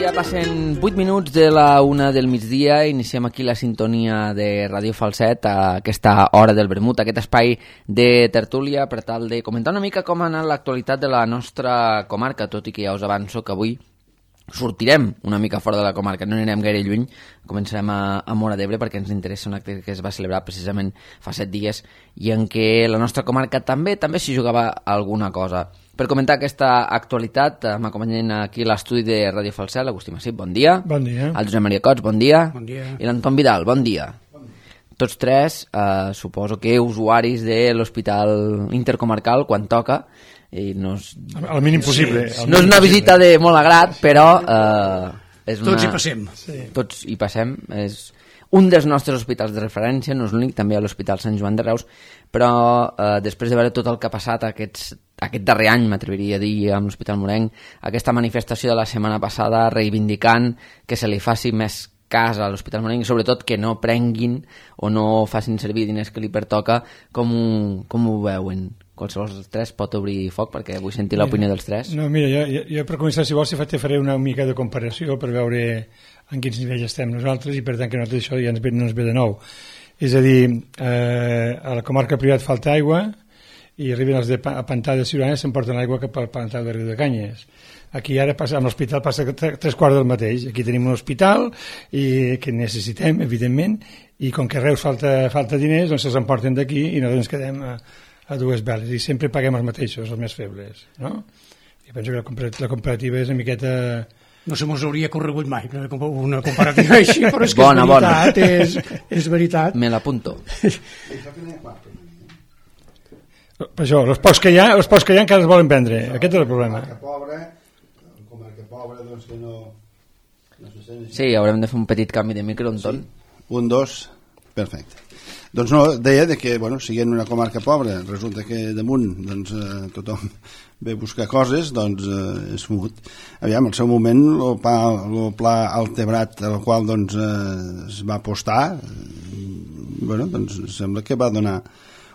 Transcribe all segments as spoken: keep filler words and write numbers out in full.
dia, passen vuit minuts de la una del migdia. Iniciem aquí la sintonia de Ràdio Falset a aquesta hora del vermut, aquest espai de tertúlia per tal de comentar una mica com ha anat l'actualitat de la nostra comarca, tot i que ja us avanço que avui sortirem una mica fora de la comarca, no anirem gaire lluny, començarem a, a Móra d'Ebre perquè ens interessa un acte que es va celebrar precisament fa set dies i en què la nostra comarca també també s'hi jugava alguna cosa. Per comentar aquesta actualitat m'acompanyen aquí a l'estudi de Ràdio Falset l'Agustí Massip, bon dia. Bon dia. El Josep Maria Cots, bon dia. Bon dia. I l'Anton Vidal, bon dia. Bon dia. Tots tres, eh, suposo que usuaris de l'Hospital Intercomarcal quan toca, i no és, al mínim possible. Sí, no és una visita de molt agrat, però eh, és una... Tots hi passem. Sí. Tots hi passem. És un dels nostres hospitals de referència, no és l'únic, també a l'Hospital Sant Joan de Reus, però eh, després de veure tot el que ha passat aquests, aquest darrer any, m'atreviria a dir, amb l'Hospital Morenc, aquesta manifestació de la setmana passada reivindicant que se li faci més cas a l'Hospital Morenc i sobretot que no prenguin o no facin servir diners que li pertoca, com ho, com ho veuen? Qualsevol dels tres pot obrir foc perquè vull sentir l'opinió dels tres. No, mira, jo, jo, jo per començar, si vols, te faré una mica de comparació per veure en quins nivells estem nosaltres i per tant que nosaltres això ja ens ve, no ens ve de nou. És a dir, eh, a la comarca privada falta aigua i arriben els de a Pantà de Ciurana i s'emporten l'aigua cap al Pantà de Riu de Canyes. Aquí ara passa, amb l'hospital passa tres quarts del mateix. Aquí tenim un hospital i que necessitem, evidentment, i com que a Reus falta, falta diners, doncs se'ls emporten d'aquí i nosaltres ens quedem a, a dues veles i sempre paguem els mateixos, els més febles, no? I penso que la, la comparativa és una miqueta... No se mos hauria corregut mai una comparativa així, però és que bona, és veritat, bona. És, és veritat. Me l'apunto. Per això, els pocs que hi ha, els pocs que hi ha encara es volen vendre. Això, aquest és el problema. Comarca pobra, comarca pobra, doncs que no... no se sent sí, haurem de fer un petit canvi de micro, Anton. Sí. Un, dos, perfecte. Doncs no, deia de que, bueno, siguent una comarca pobra, resulta que damunt doncs, eh, tothom ve a buscar coses, doncs eh, és fumut. Aviam, al seu moment, el pla, el pla Altebrat, al qual doncs, eh, es va apostar, eh, bueno, doncs sembla que va donar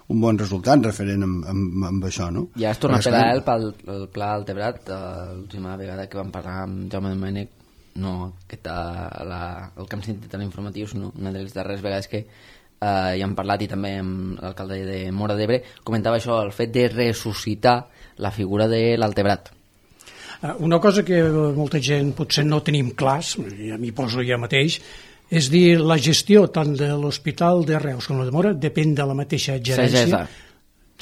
un bon resultat referent amb, amb, amb això, no? Ja es torna a pegar el, el, el pla Altebrat, l'última vegada que vam parlar amb Jaume Domènech, no, aquesta, la, el que hem sentit a l'informatius, no, una de les darreres vegades que Uh, ja hem parlat i també amb l'alcalde de Móra d'Ebre comentava això, el fet de ressuscitar la figura de l'Altebrat. Una cosa que molta gent potser no tenim clars, ja m'hi poso ja mateix, és dir, la gestió tant de l'Hospital de Reus com la de Móra depèn de la mateixa gerència sí.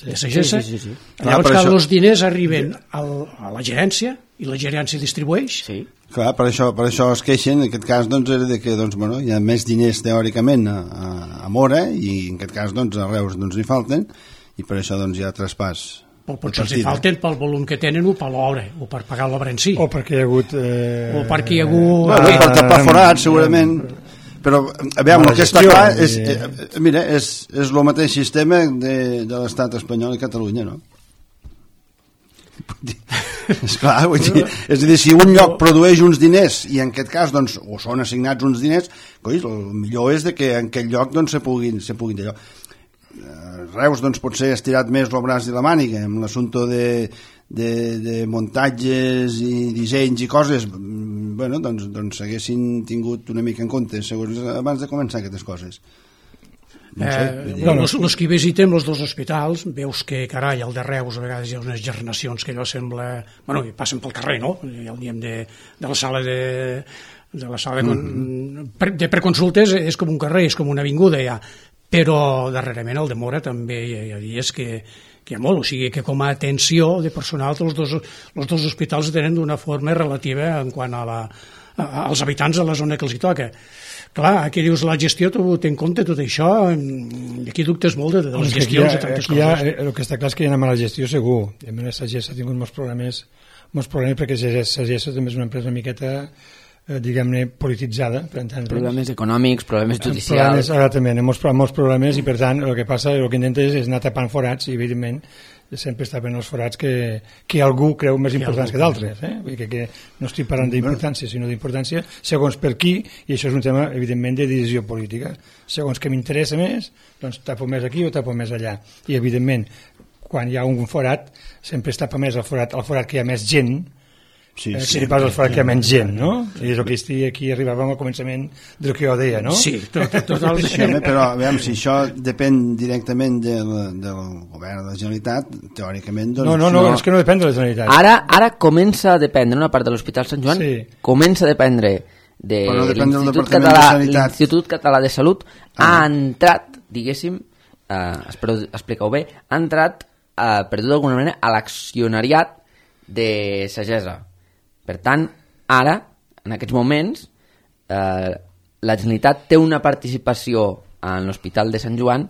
de Sagessa. Sí, sí, sí, sí. Llavors Clar, que això... els diners arriben al, a la gerència i la gerència distribueix. Sí. Clar, per això, per això es queixen, en aquest cas doncs, era de que doncs, bueno, hi ha més diners teòricament a, a, a Móra i en aquest cas doncs, a Reus doncs, hi falten i per això doncs, hi ha traspàs. O potser els hi falten pel volum que tenen o per l'obra, o per pagar l'obra en si. O perquè hi ha hagut... Eh... O perquè hi ha hagut... Bueno, per tapar forats, segurament... Però, aviam, el que està clar és, eh, mira, és, és el mateix sistema de, de l'estat espanyol i Catalunya, no? És clar, vull dir, és a dir, si un lloc produeix uns diners i en aquest cas, doncs, o són assignats uns diners, coi, el millor és de que en aquell lloc doncs, se puguin, se puguin d'allò. Reus, doncs, potser ha estirat més el braç de la màniga amb l'assumpte de, de, de muntatges i dissenys i coses, bueno, doncs, doncs s'haguessin tingut una mica en compte segons abans de començar aquestes coses. No sé, eh, no, no. Els que visitem els dos hospitals veus que, carai, al de Reus a vegades hi ha unes gernacions que allò sembla... Bueno, passen pel carrer, no? Ja el diem de, de la sala de... de la sala de, mm-hmm. de preconsultes és com un carrer, és com una avinguda ja, però darrerament el de Móra també hi ha dies que, que hi ha molt, o sigui que com a atenció de personal els dos, els dos hospitals tenen d'una forma relativa en quant a la, a, als habitants de la zona que els hi toca. Clar, aquí dius la gestió, tu té en compte tot això, i aquí dubtes molt de, de les gestions de tantes coses. Ha, el que està clar és que hi ha una mala gestió segur. I a més, Sagessa ha tingut molts problemes, molts problemes perquè Sagessa també és una empresa una miqueta, eh, diguem-ne, polititzada. Per tant, problemes econòmics, problemes judicials. Problemes, exactament, molts, molts problemes, i per tant el que passa, el que intenta és, és anar tapant forats, i evidentment sempre està ben els forats que, que algú creu més importants que d'altres, eh? Vull dir que, que no estic parlant d'importància, sinó d'importància segons per qui, i això és un tema evidentment de decisió política, segons que m'interessa més, doncs tapo més aquí o tapo més allà, i evidentment quan hi ha un forat sempre es tapa més el forat, el forat que hi ha més gent Sí, eh, sí, que pas els fa que menys gent, no? I és el que estic aquí arribàvem al començament del que jo deia, no? Sí, tot, totalment. Sí, home, però veiem, si això depèn directament del, del govern de la Generalitat, teòricament... Doncs, no, no, no, no, és que no depèn de la Generalitat. Ara, ara comença a dependre una part de l'Hospital Sant Joan, sí. comença a dependre de no l'Institut Català, l'Institut Català de Salut, ah. ha entrat, diguéssim, eh, espero explicar-ho bé, ha entrat, eh, per dir-ho d'alguna manera, a l'accionariat de Sagessa. Per tant, ara, en aquests moments, eh, la Generalitat té una participació en l'Hospital de Sant Joan,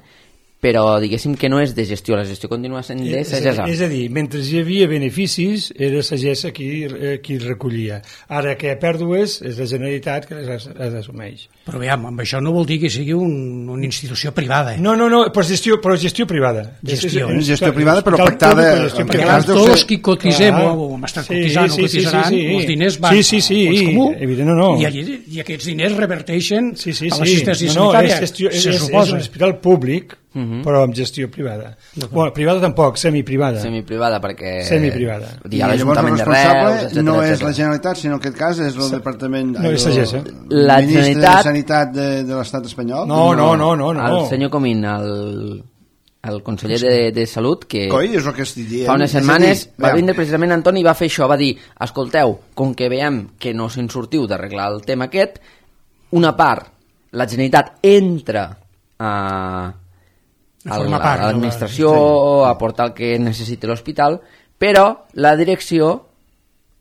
però diguéssim que no és de gestió, la gestió continua sent de Sagessa. És a dir, mentre hi havia beneficis, era Sagessa qui, eh, qui recollia. Ara que hi ha pèrdues, és la Generalitat que les, les assumeix. Però veiem, amb això no vol dir que sigui un, una institució privada. Eh? No, no, no, però gestió, però gestió privada. Gestió, és, és, gestió privada, però pactada... Perquè tots els que cotisem o hem estat cotitzant o cotitzaran, els diners van sí, sí, sí, al fons comú, evident, no, no. I, allí, i aquests diners reverteixen sí, sí, sí. a l'assistència no, no, sanitària, és gestió, se és, suposa. És un hospital públic, uh-huh. però amb gestió privada. Bueno, privada tampoc, semiprivada. Semiprivada, perquè... Semiprivada. I l'Ajuntament de Reus, etcètera. No és la Generalitat, sinó en aquest cas és el Departament... No, és Sagessa. La Ministre Generalitat... de Sanitat de, de l'Estat espanyol? No, no, no, no. no. El senyor Comín, el, el conseller de, de Salut, que Coi, és el que estic dient. fa unes setmanes va vindre precisament Antoni i va fer això, va dir, escolteu, com que veiem que no se'n sortiu d'arreglar el tema aquest, una part, la Generalitat entra a... a l'administració, a portar el que necessiti l'hospital, però la direcció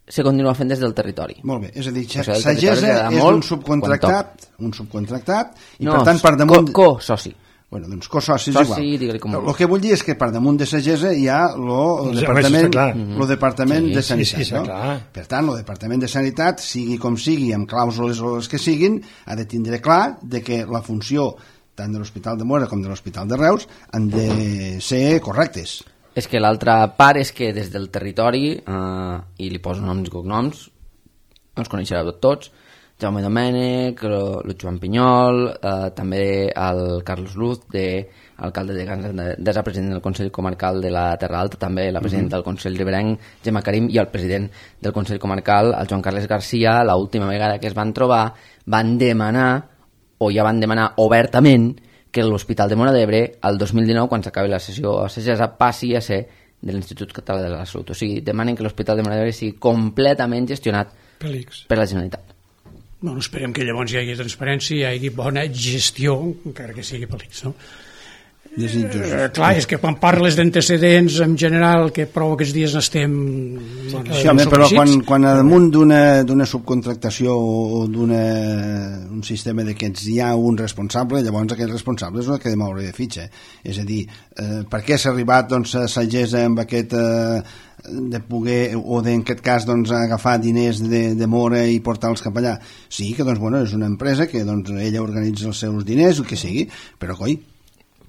se continua fent des del territori. Molt bé, és a dir, o sigui, Sagessa és un subcontractat, un subcontractat, i no, per tant per damunt... Co-soci. Bueno, doncs co-soci és Soci, igual. com el que vull dir és que per damunt de Sagessa hi ha el departament, lo departament sí, de Sanitat. Sí, sí, no? clar. Per tant, el departament de Sanitat, sigui com sigui, amb clàusules o les que siguin, ha de tindre clar de que la funció tant de l'Hospital de Móra com de l'Hospital de Reus han de ser correctes. És que l'altra part és que des del territori, eh, i li poso noms i cognoms, els coneixereu tots, Jaume Domènech, el Joan Pinyol, eh, també el Carlos Luz, de, alcalde de Gandesa, president del Consell Comarcal de la Terra Alta, també la presidenta del Consell Riberenc, Gemma Karim, i el president del Consell Comarcal, el Joan Carles Garcia, l'última vegada que es van trobar, van demanar o ja van demanar obertament que l'Hospital de Móra d'Ebre, el dos mil dinou, quan s'acabi la sessió a Sagessa, passi a ser de l'Institut Català de la Salut. O sigui, demanen que l'Hospital de Móra d'Ebre sigui completament gestionat Pelix. per la Generalitat. Bueno, esperem que llavors hi hagi transparència, hi hagi bona gestió, encara que sigui Pelix, no? Eh, clar, és que quan parles d'antecedents en general, que prou aquests dies estem bueno, sí, home, però quan, quan damunt d'una subcontractació o d'un sistema d'aquests hi ha un responsable, llavors aquell responsable és el que ha de moure de fitxa. És a dir, eh, per què s'ha arribat doncs, a Sagessa amb aquest eh, de poder, o en aquest cas doncs, agafar diners de, de Móra i portar-los cap allà? Sí, que doncs, bueno, és una empresa que doncs, ella organitza els seus diners, el que sigui, però coi,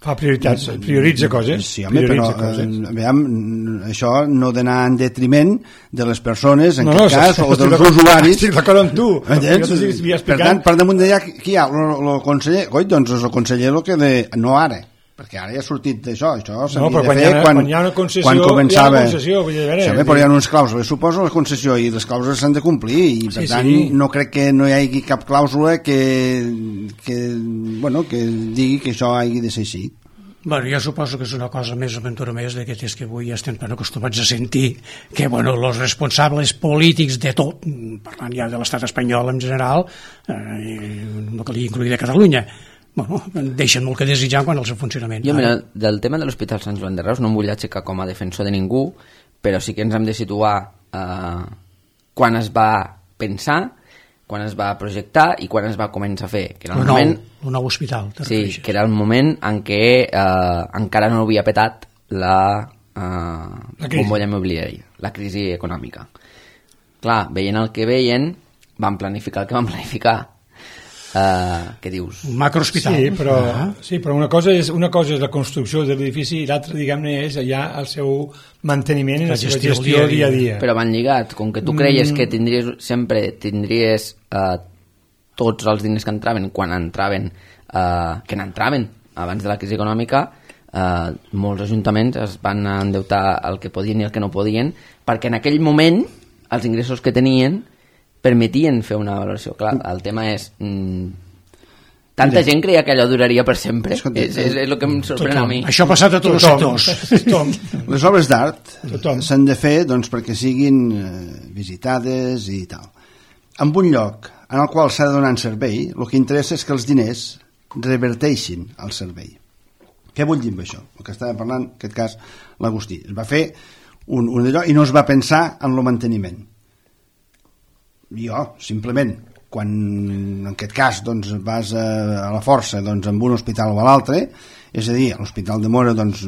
fa prioritats, prioritza coses. Sí, home, prioritza però coses. Eh, veiem, això no d'anar en detriment de les persones, en no, aquest no, cas, o dels d'acord, usuaris. Estic d'acord amb tu. Per tant, per damunt d'allà, qui hi ha? El conseller? Coi, doncs és el conseller el que de... No ara, perquè ara ja ha sortit d'això, això s'havia no, de fer quan, quan hi ha una concessió, quan començava... hi ha una concessió, vull dir, veure, sí, però hi ha uns clàusules, suposo la concessió, i les clàusules s'han de complir, i per sí, tant sí. no crec que no hi hagi cap clàusula que, que, bueno, que digui que això hagi de ser així. Bueno, jo suposo que és una cosa més aventura més d'aquestes que avui estem tan acostumats a sentir que, bueno, els responsables polítics de tot, parlant ja de l'estat espanyol en general, eh, no calia incluir de Catalunya, bueno, deixen molt que desitjar quan els funcionament. Jo, mira, del tema de l'Hospital Sant Joan de Reus no em vull aixecar com a defensor de ningú, però sí que ens hem de situar eh, quan es va pensar, quan es va projectar i quan es va començar a fer, que era el, el nou, moment... el nou hospital. Sí, que era el moment en què eh, encara no havia petat la, eh, la bombolla immobiliària, la crisi econòmica. Clar, veient el que veien, van planificar el que van planificar. Uh, què dius? Un macrohospital. Sí, però, ah. sí, però una, cosa és, una cosa és la construcció de l'edifici i l'altra, diguem-ne, és ja el seu manteniment i la, la seva gestió, gestió dia a dia. Però van lligat, com que tu creies mm. que tindries, sempre tindries uh, tots els diners que entraven quan entraven, uh, que n'entraven abans de la crisi econòmica, uh, molts ajuntaments es van endeutar el que podien i el que no podien, perquè en aquell moment els ingressos que tenien permetien fer una valoració. Clar, el tema és... Mm, tanta Mira. gent creia que allò duraria per sempre. Escolta, és, és, és el que em sorprèn tothom. a mi. Això ha passat a tots tothom. els sectors. Les obres d'art s'han de fer doncs, perquè siguin eh, visitades i tal. En un lloc en el qual s'ha de donar un servei, el que interessa és que els diners reverteixin al servei. Què vull dir amb això? El que estava parlant, en aquest cas, l'Agustí. Es va fer un, un d'allò i no es va pensar en el manteniment. Jo, simplement, quan en aquest cas doncs, vas a, a la força doncs, amb un hospital o a l'altre, és a dir, a l'Hospital de Móra doncs,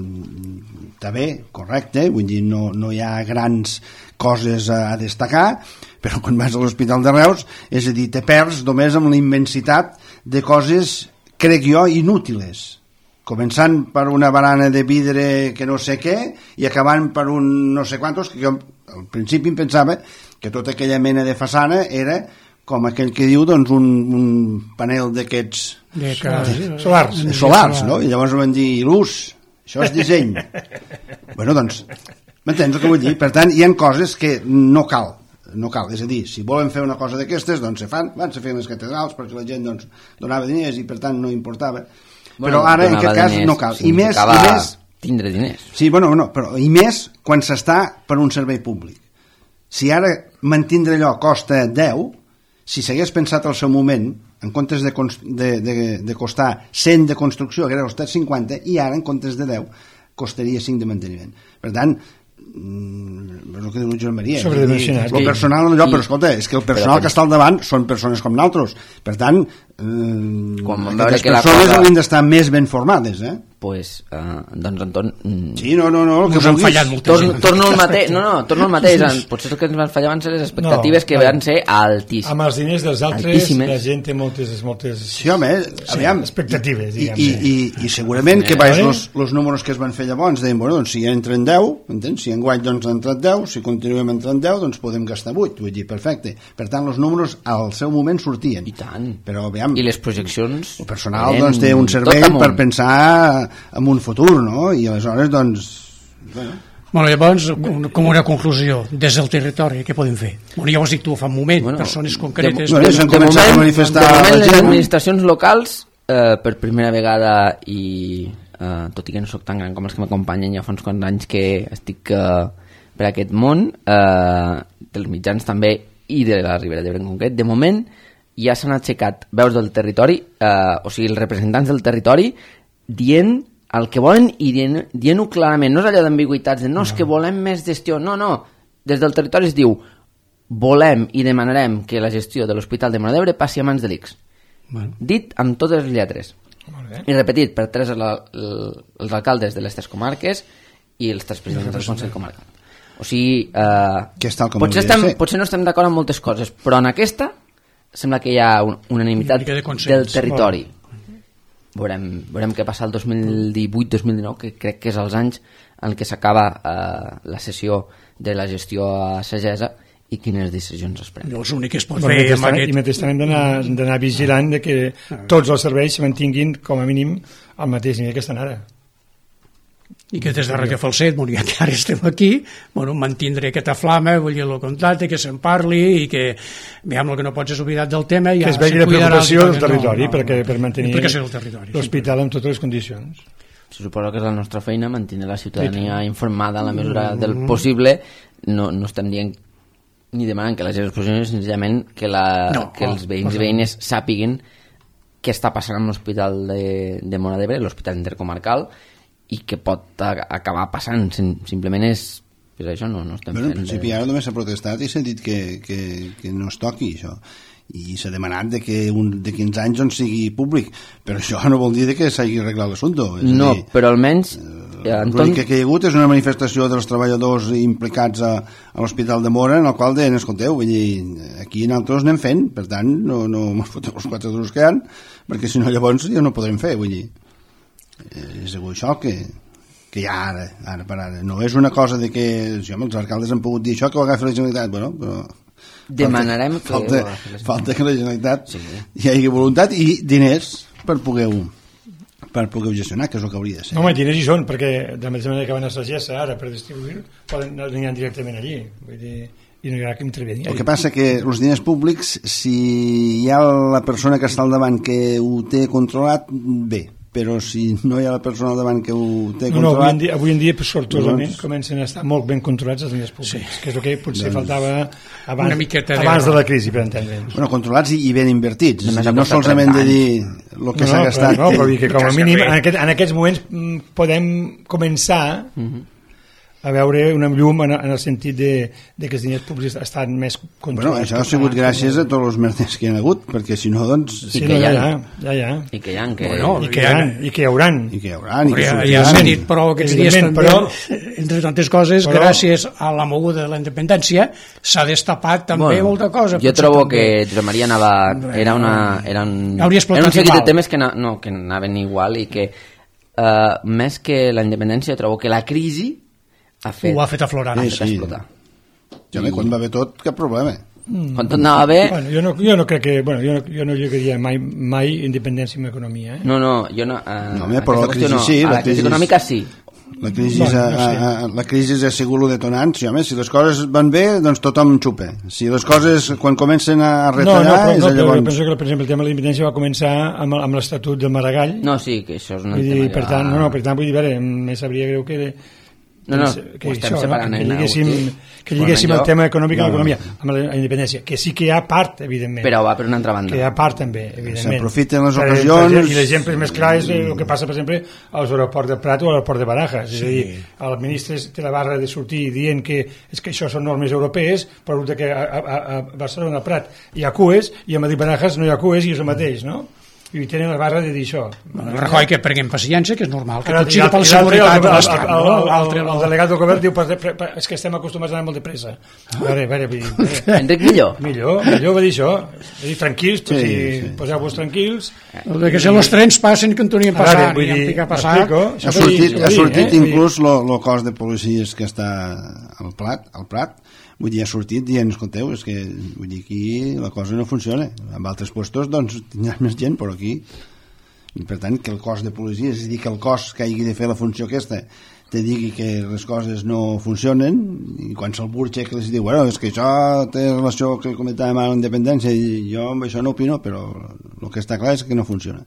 està bé, correcte, vull dir, no, no hi ha grans coses a, a destacar, però quan vas a l'Hospital de Reus, és a dir, te perds només amb la immensitat de coses, crec jo, inútiles. Començant per una barana de vidre que no sé què i acabant per un no sé quantos, que jo al principi em pensava que tota aquella mena de façana era com aquell que diu doncs un, un panel d'aquests de que... solars, solars, no? I llavors van dir il·lus, això és disseny. Bueno, doncs, m'entens el que vull dir? Per tant, hi ha coses que no cal, no cal, és a dir, si volen fer una cosa d'aquestes, doncs se fan, van se fer les catedrals perquè la gent doncs, donava diners i per tant no importava. Bueno, però ara en aquest cas diners, no cal i més, i més tindre diners sí, bueno, no, però, i més quan s'està per un servei públic. Si ara mantindre allò costa deu, si s'hagués pensat al seu moment en comptes de, de, de, de costar cent de construcció hauria costat cinquanta i ara en comptes de deu costaria cinc de manteniment. Per tant, és el que diu Joan Maria, sobredimensionat. El personal, allò, però escolta, és que el personal que està al davant són persones com nosaltres, per tant eh, aquestes persones cosa... haurien d'estar més ben formades, eh? Pues, uh, doncs Anton sí, no, no, no, que han fallat moltes torno, torno al mateix, no, no, torno al mateix en, potser el que ens van fallar van ser les expectatives no, que van ser altíssimes. Amb els diners dels altres altíssimes. La gent té moltes, moltes sí, home, aviam, expectatives, diguem. I, i, i, i segurament sí, que vaig los, los números que es van fer llavors deien, bueno, doncs si entren deu, entens? Si enguany doncs han entrat deu, si continuem entrant deu, doncs podem gastar vuit, vull dir, perfecte. Per tant, els números al seu moment sortien. I tant. Però, aviam, i les projeccions... El personal doncs, té un servei per pensar en un futur, no? I aleshores, doncs... Bueno, bueno llavors, com una conclusió, des del territori, què podem fer? Bueno, ja ho has dit tu fa un moment, bueno, persones concretes... De, de, de, de, moment, a manifestar de moment, les administracions locals, eh, per primera vegada, i eh, tot i que no soc tan gran com els que m'acompanyen, ja fa uns quants anys que estic eh, per aquest món, eh, dels mitjans també, i de la Ribera d'Ebre en concret, de moment ja s'han aixecat veus del territori, eh, o sigui, els representants del territori, dient el que volen i dient, dient-ho clarament, no és allò d'ambigüitats de no, és que volem més gestió, no, no, des del territori es diu volem i demanarem que la gestió de l'Hospital de Móra d'Ebre passi a mans de l'I C S. Bueno. Dit amb totes les lletres i repetit per tres la, la, els alcaldes de les tres comarques i els tres presidents del Consell Comarcal. O sigui, eh, potser, estem, potser no estem d'acord amb moltes coses, però en aquesta sembla que hi ha un, unanimitat de del territori. Veurem, veurem què passa el dos mil divuit dos mil dinou, que crec que és els anys en què s'acaba eh, la sessió de la gestió a Sagesa i quines decisions es prenen. No, és l'únic que es pot bueno, fer amb aquest... I mentrestant hem d'anar vigilant de que tots els serveis se mantinguin com a mínim al mateix nivell que estan ara. I que des de Radio Falset, bueno, ja que ara estem aquí, bueno, mantindre aquesta flama, vull dir, el contacte, que se'n parli i que, veiem, el que no pots és oblidat del tema, ja que es vegi la preocupació del territori, no, no, perquè, per mantenir l'hospital sí, en totes les condicions. Se suposa que és la nostra feina mantenir la ciutadania informada en la mesura del possible. No, no estem dient ni demanant que la gent es posicioni, senzillament que, la, no, que els veïns i veïnes sàpiguen què està passant amb l'Hospital de, de Móra d'Ebre, l'Hospital Intercomarcal, i que pot a, acabar passant. Simplement és, és això, no, no estem bueno, fent... En principi ara només s'ha protestat i s'ha dit que, que, que no es toqui això, i s'ha demanat de que un, de quinze anys on sigui públic, però això no vol dir que s'hagi arreglat l'assumpte. No, dir, però almenys eh, Anton... l'únic que hi ha hagut és una manifestació dels treballadors implicats a, a l'Hospital de Móra, en el qual deien, escolteu, vull dir, aquí nosaltres anem fent, per tant no, no ens fotem els quatre duros que hi ha, perquè si no llavors ja no podrem fer, vull dir. Eh, és això que, que hi ha ara, ara per ara. No és una cosa de que jo, els alcaldes han pogut dir això, que ho agafi la Generalitat, bueno, però demanarem falta, que falta, falta que la Generalitat sí. hi hagi voluntat i diners per poder per poder gestionar, que és el que hauria de ser. No, home, diners hi són, perquè de la mateixa manera que van a Sagessa ara per distribuir, poden anar directament allí. Vull dir, i no hi haurà que intervenir. El que passa que els diners públics, si hi ha la persona que està al davant que ho té controlat, bé, però si no hi ha la persona al davant que ho té no, no, controlat... avui en dia, avui en dia sortosament, doncs... comencen a estar molt ben controlats els diners públics, sí. que és el que potser doncs... faltava abans, Una miqueta abans de la crisi, per entendre'ns. Bueno, controlats i, i ben invertits, No, no, no solament de dir el que no, s'ha no, gastat. Però, no, però dir que com a mínim en, aquest, en aquests moments mm, podem començar uh-huh. a veure una llum en, en el sentit de, de que els diners públics estan més controlats. Bueno, això ha sigut gràcies a tots els merders que hi ha hagut, perquè si no, doncs... Sí, no, ja, ja, ja, ja. I que hi ha, que... Bueno, i, que hi ha, i que hi hauran. I que hi hauran, i que ja, sortiran. ja s'ha dit, però aquests dies també, però, entre tantes coses, però, gràcies a la moguda de la independència, s'ha destapat també bueno, molta cosa. Jo trobo també... que Josep Maria anava... Era, una, era un, era un seguit de temes que, na, no, que anaven igual i que uh, més que la independència trobo que la crisi ha fet, ho ha fet aflorar. Sí, sí. sí. explotar. Ja bé, quan va bé tot, cap problema. Mm. Quan tot anava bé... Bueno, jo, no, jo no crec que... Bueno, jo no, jo no lligaria mai, mai independència amb economia. Eh? No, no, jo no... Uh, no, però la crisi no. sí. A la, la crisi econòmica sí. La crisi, bueno, no sé. a, a, la crisi ha sigut lo detonant. Sí, home, si les coses van bé, doncs tothom xupa. Si les coses, quan comencen a retallar... No, no, però, és no, però llavors... jo penso que, per exemple, el tema de la independència va començar amb, amb l'Estatut del Maragall. No, sí, que això és un vull tema... dir, per tant, no, no, per tant, vull dir, veure, més sabria greu que... No, no, que ho estem això, separant. no? Que eh, lliguéssim, que lliguéssim el tema econòmic no, a l'economia, amb la independència, que sí que hi ha part, evidentment. Però va per una altra banda. Que hi ha part, també, evidentment. S'aprofiten les ocasions... I l'exemple més clar és el que passa, per exemple, als aeroports de Prat o a l'aeroport de Barajas. Sí. És a dir, el ministre té la barra de sortir dient que és que això són normes europees, però que a, a, a Barcelona, a Prat, hi ha cues, i a Madrid Barajas no hi ha cues i és el mateix, no? I tenen la barra de dir això. Bueno, Rajoy que prenguem paciència, que és normal, que Ara, tot sigui per la seguretat de l'estat. El, el, el, el, el delegat del govern diu per, per, per, és que estem acostumats a anar molt de pressa. A veure, a veure, a veure. Enric millor. Millor, millor va dir això. Va dir tranquils, sí, si sí. Poseu-vos tranquils. El de que si els trens passen que en tornin a passar, ni en picar a passar. Ha sortit, ha sortit eh? inclús el cos de policies que està al Prat, al Prat, vull dir, ha sortit dient, escolteu, és que vull dir, aquí la cosa no funciona. En altres puestos, doncs, tindrà més gent, però aquí... I per tant, que el cos de policia, és a dir, que el cos que hagi de fer la funció aquesta te digui que les coses no funcionen, i quan se'l burxa que els diu, bueno, és que això té relació que comentàvem a la independència, i jo amb això no opino, però el que està clar és que no funciona.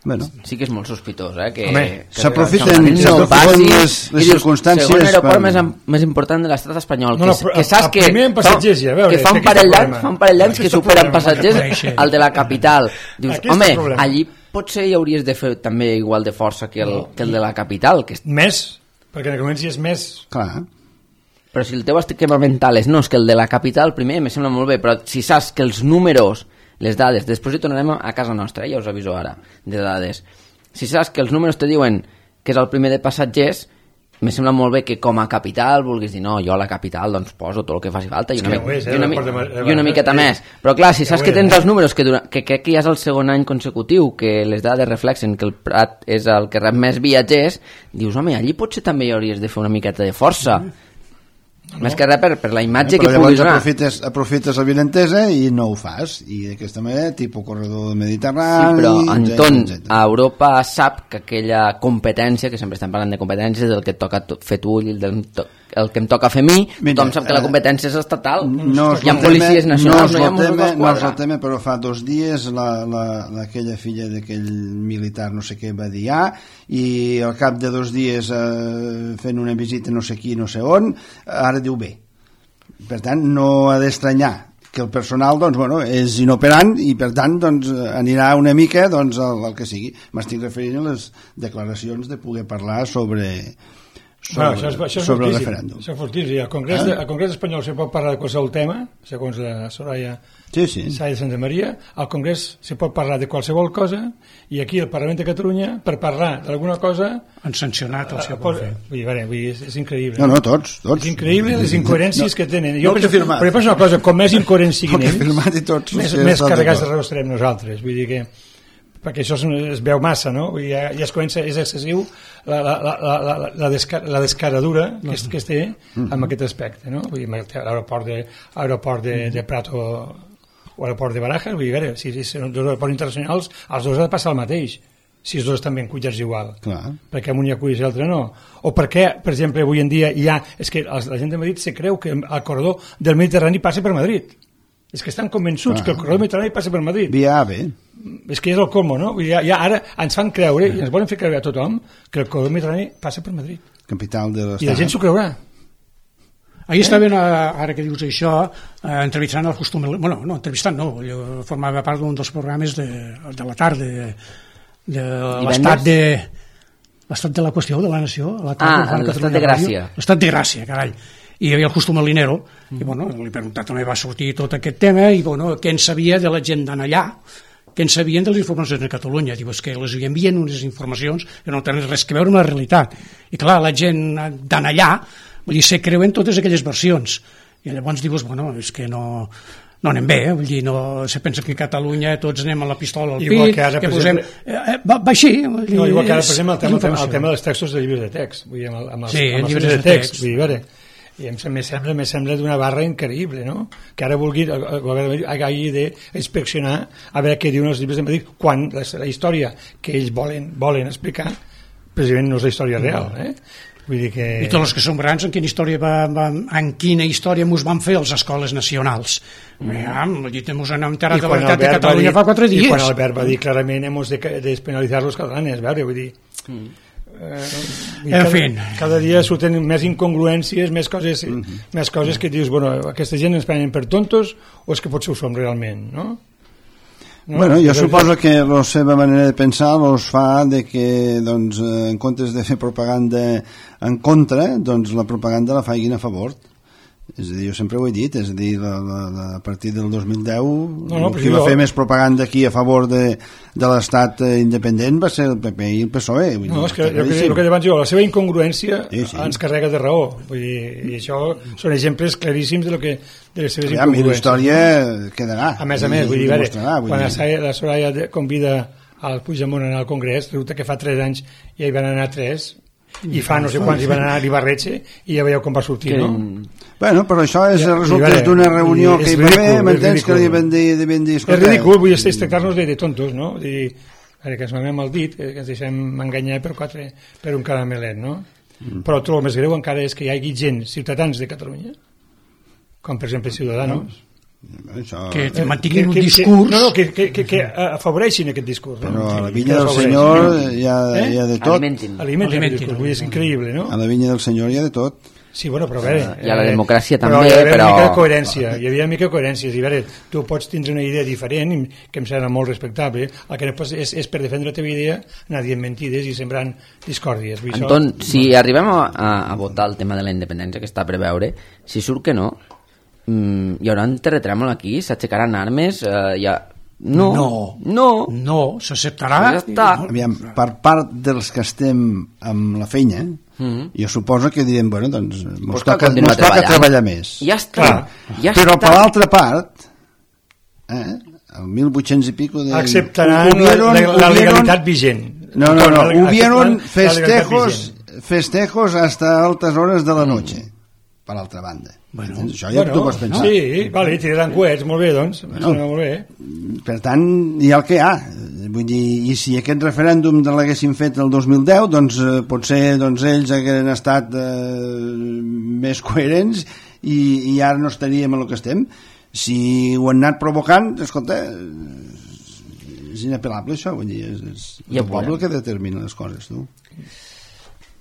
Bueno. Sí que és molt sospitós, eh? Que, Home, que s'aprofiten no les, les circumstàncies... Segon aeroport per... més, més important de l'estat espanyol, no, no, que, que saps que, fa, ja, veure, que fa un parell d'anys fa un parell d'anys que superen passatgers al de la capital. Dius, home, allí potser hi hauries de fer també igual de força que el, no. que el de la capital. Que... Més, perquè en comenci és més... Clar. Però si el teu esquema mental és no, és que el de la capital primer me sembla molt bé, però si saps que els números, les dades, després hi tornarem a casa nostra, eh? Ja us aviso ara, de dades. Si saps que els números te diuen que és el primer de passatgers, me sembla molt bé que com a capital vulguis dir, no, jo a la capital doncs poso tot el que faci falta i una, mi és, eh? i una, mi i una miqueta eh? més. Però clar, si saps que tens els números que, dura que crec que ja és el segon any consecutiu que les dades reflexen que el Prat és el que rep més viatgers, dius, home, allí potser també hi hauries de fer una miqueta de força. Mm. No. Més que res per, per la imatge eh, que puguis donar. Aprofites, aprofites la violentesa i no ho fas, i d'aquesta manera tipus corredor del Mediterrani. Sí, però Anton, a Europa sap que aquella competència, que sempre estem parlant de competències, del que et toca fer tu i el, del, el que em toca fer a mi, mira, tothom sap que la competència és estatal. No hi ha policies nacionals, no, no hi ha Mossos d'Esquadra. No és el tema, però fa dos dies la, la, aquella filla d'aquell militar no sé què va dir ah, i al cap de dos dies eh, fent una visita no sé qui, no sé on, ara diu bé. Per tant, no ha d'estranyar que el personal doncs, bueno, és inoperant i per tant doncs, anirà una mica doncs, al, al que sigui. M'estic referint a les declaracions de poder parlar sobre, sobre, bueno, això és, això és sobre el referèndum. Això és fortíssim. Al Congrés, eh? al Congrés espanyol se pot parlar de qualsevol tema, segons la Soraya sí, sí. Sáenz de Santa Maria. Al Congrés se pot parlar de qualsevol cosa i aquí al Parlament de Catalunya, per parlar d'alguna cosa... Han sancionat el seu pot fer. Vull dir, veure, vull dir, és, és increïble. No, no, tots. tots. És increïble les incoherències no, que tenen. Jo no penso, firmat. però penso una cosa, com més incoherents siguin ells, tots, més, més carregats de raó estarem nosaltres. Vull dir que perquè això es veu massa, no? Vull dir, ja, ja es comença, és excessiu la, la, la, la, la, desca, la descaradura que es, que es té amb aquest aspecte, no? Vull dir, l'aeroport de, aeroport de, de Prat o, o l'aeroport de Barajas, vull dir, veure, si, si són dos aeroports internacionals, els dos ha de passar el mateix. si els dos estan ben cuidats igual. Clar. Perquè un hi ha cuidats i l'altre no. O perquè, per exemple, avui en dia hi ha... És que la gent de Madrid se creu que el corredor del Mediterrani passa per Madrid. És que estan convençuts ah. que el corredor del Mediterrani passa per Madrid. Via A B. És que és el colmo, no? Ja, ja ara ens fan creure, i ens volen fer creure a tothom, que el corredor del Mediterrani passa per Madrid. Capital de l'Estat. I la gent s'ho creurà. Ahir estaven, ara que dius això, eh, entrevistant el costum... Bueno, no, entrevistant no, jo formava part d'un dels programes de, de la tarda, de, de l'estat de... l'estat de la qüestió de la nació. La ah, l'estat de Gràcia. L'estat de Gràcia, carai. I hi havia el costum alinero, mm. i bueno, li he preguntat on va sortir tot aquest tema, i bueno, què en sabia de la gent d'anar allà, què en sabien de les informacions de Catalunya. Diu, és que les envien unes informacions que no tenen res que veure amb la realitat. I clar, la gent d'anar allà, vull dir, se creuen totes aquelles versions. I llavors dius, bueno, és que no, no anem bé, eh? Vull dir, no, se pensa que a Catalunya tots anem amb la pistola al pit, que, ara, que posem... Exemple, eh, va, va així. No, igual que ara, per exemple, el tema, el tema dels textos de llibres de text. Vull dir, amb, el, amb els, sí, amb els llibres de text. text. Vull dir, veure, i em sembla, me sembla d'una barra increïble, no? Que ara vulgui el govern hagi d'inspeccionar a veure què diuen els llibres de Madrid, quan la, la història que ells volen, volen explicar precisament no és la història real, eh? Vull dir que... I tots els que som grans, en quina història va, va, en quina història mos van fer les escoles nacionals? Mm. Ja, mos han enterat de la veritat de Catalunya dir, fa quatre dies. I quan Albert va dir clarament hemos de despenalitzar los catalanes, veure, vull dir... Mm. Eh, en cada, fi. Cada dia surten més incongruències, més coses, mm -hmm. més coses que dius, bueno, aquesta gent ens prenen per tontos o és que potser ho som realment, no? No, bueno, jo suposo que la seva manera de pensar els fa de que, doncs, en comptes de fer propaganda en contra, doncs la propaganda la facin a favor. És a dir, jo sempre ho he dit, és a dir, la, la, la, a partir del dos mil deu no, no, qui va jo... fer més propaganda aquí a favor de, de l'estat independent va ser el P P i el P S O E. Vull no, dir, és que, que, el que abans jo, la seva incongruència sí, sí. ens carrega de raó. Vull dir, i això són exemples claríssims de, lo que, de les seves incongruències. Ja, la història quedarà. A més a més, vull dir, veure, quan dir... la Soraya convida al Puigdemont a anar al Congrés, resulta que fa tres anys ja hi van anar tres, i fa no sé quants hi van anar a l'Ibarretxe i ja veieu com va sortir, que... no? Bueno, però això és el resultat d'una reunió que hi va haver, m'entens que li van dir, dir és ridícul, vull dir, tractar-nos de tontos, no? Vull dir, que ens mamem el dit, que ens deixem enganyar per, quatre, per un caramelet, no? Mm. Però tot el més greu encara és que hi hagi gent, ciutadans de Catalunya, com per exemple Ciudadanos, això... que eh, mantinguin un que, discurs que, no, no, que, que, que, que afavoreixin aquest discurs, però no? a la vinya del Senyor hi ha, eh? hi ha de tot. Alimentin. Alimentin, Alimentin. Discurs, és increïble, no? A la vinya del Senyor hi ha de tot. Sí, bueno, però a veure... I a la democràcia eh, també, però... Hi havia però... una mica de coherència, hi havia una mica de coherència. I a veure, tu pots tindre una idea diferent, que em sembla molt respectable, el que no pots és, és per defendre la teva idea anar dient mentides i sembrant discòrdies. Vull Anton, això... si arribem a, a, a votar el tema de la independència que està a preveure, si surt que no, mm, hi haurà un terratrèmol aquí, s'aixecaran armes, eh, hi ha... No, no, no, no s'acceptarà. Ja està. Aviam, per part dels que estem amb la feina, mm-hmm. jo suposo que direm, bueno, doncs mos toca, mos toca treballar més. Ja està. Ja Però està. per l'altra part, eh, el mil vuit-cents i pico de... acceptaran hubieron, la, la, la legalitat vigent. No, no, no, hubieron festejos, festejos hasta altas horas de la noche. Mm. Per l'altra banda. Bueno, això ja bueno, tu pots pensar. Sí, vale, tiraran coets, molt bé, doncs. Bueno, molt bé. Per tant, hi ha el que hi ha. Vull dir, i si aquest referèndum de l'haguessin fet el dos mil deu, doncs eh, potser doncs, ells haguessin estat eh, més coherents i, i ara no estaríem en el que estem. Si ho han anat provocant, escolta, és inapel·lable això, vull dir, és, és ja el poble que determina les coses, tu.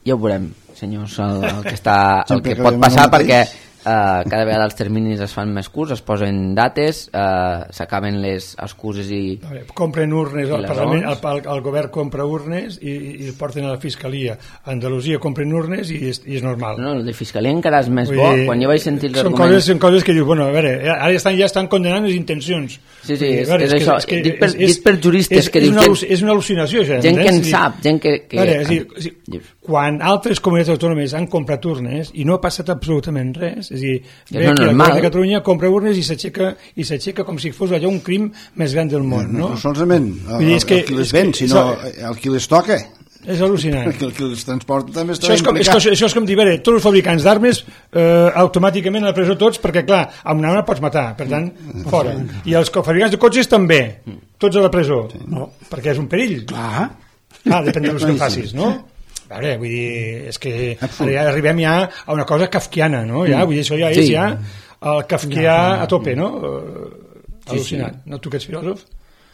Ja ho veurem, senyors, el, el que, està, el que pot passar, perquè uh, cada vegada els terminis es fan més curts, es posen dates, uh, s'acaben les excuses i... Veure, compren urnes, el, Parlament, el, el, el govern compra urnes i, i porten a la Fiscalia. A Andalusia compren urnes i és, i és normal. No, el de Fiscalia encara és més bo, quan jo vaig sentir els són arguments... Coses, són coses que dius, bueno, a veure, ara ja estan, ja estan condenant les intencions. Sí, sí, és, veure, és, és això, que, dit, per, és, dit per juristes és, que és, dius... una, és una al·lucinació, això. Gent que en sap, gent que... que veure, és dir, és dir, quan altres comunitats autònomes han comprat urnes i no ha passat absolutament res, és a dir, ve no que el govern de Catalunya compra urnes i s'aixeca i s'aixeca com si fos allò un crim més gran del món, no? No, no solament el, el, el qui les ven, sinó el qui les toca. És al·lucinant. Perquè el que els transporta també està això és com, és, això, això és com dir, veure, tots els fabricants d'armes eh, automàticament a la presó tots, perquè clar, amb una arma pots matar, per tant, fora. I els fabricants de cotxes també, tots a la presó, no, perquè és un perill. Clar. Ah, depèn de l'ús que facis, no? A veure, vull dir, és que ja arribem ja a una cosa kafkiana, no? Ja, vull dir, això ja és sí. ja el kafkià a tope, no? Al·lucinant. Sí, sí. No, tu que ets filòsof?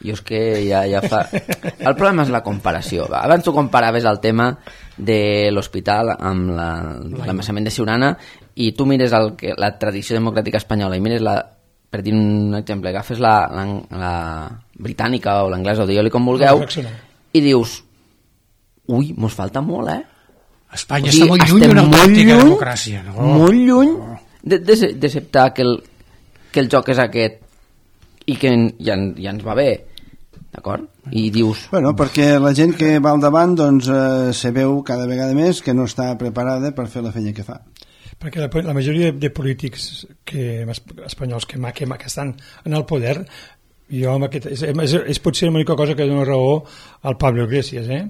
Jo és que ja, ja fa... El problema és la comparació. Va. Abans tu comparaves el tema de l'hospital amb l'embassament de Siurana i tu mires el que, la tradició democràtica espanyola i mires la... Per dir un exemple, agafes la, la, la britànica o l'anglesa o digue-li com vulgueu i dius, ui, mos falta molt, eh? Espanya o sigui, està molt lluny d'una autèntica democràcia. No? Molt lluny d'acceptar que, el, que el joc és aquest i que ja, ja ens va bé, d'acord? I dius... Bueno, perquè la gent que va al davant doncs eh, se veu cada vegada més que no està preparada per fer la feina que fa. Perquè la, la majoria de, de polítics que, espanyols que, que, que estan en el poder, jo amb aquest, és, és, és potser l'única cosa que dona raó al Pablo Iglesias, eh?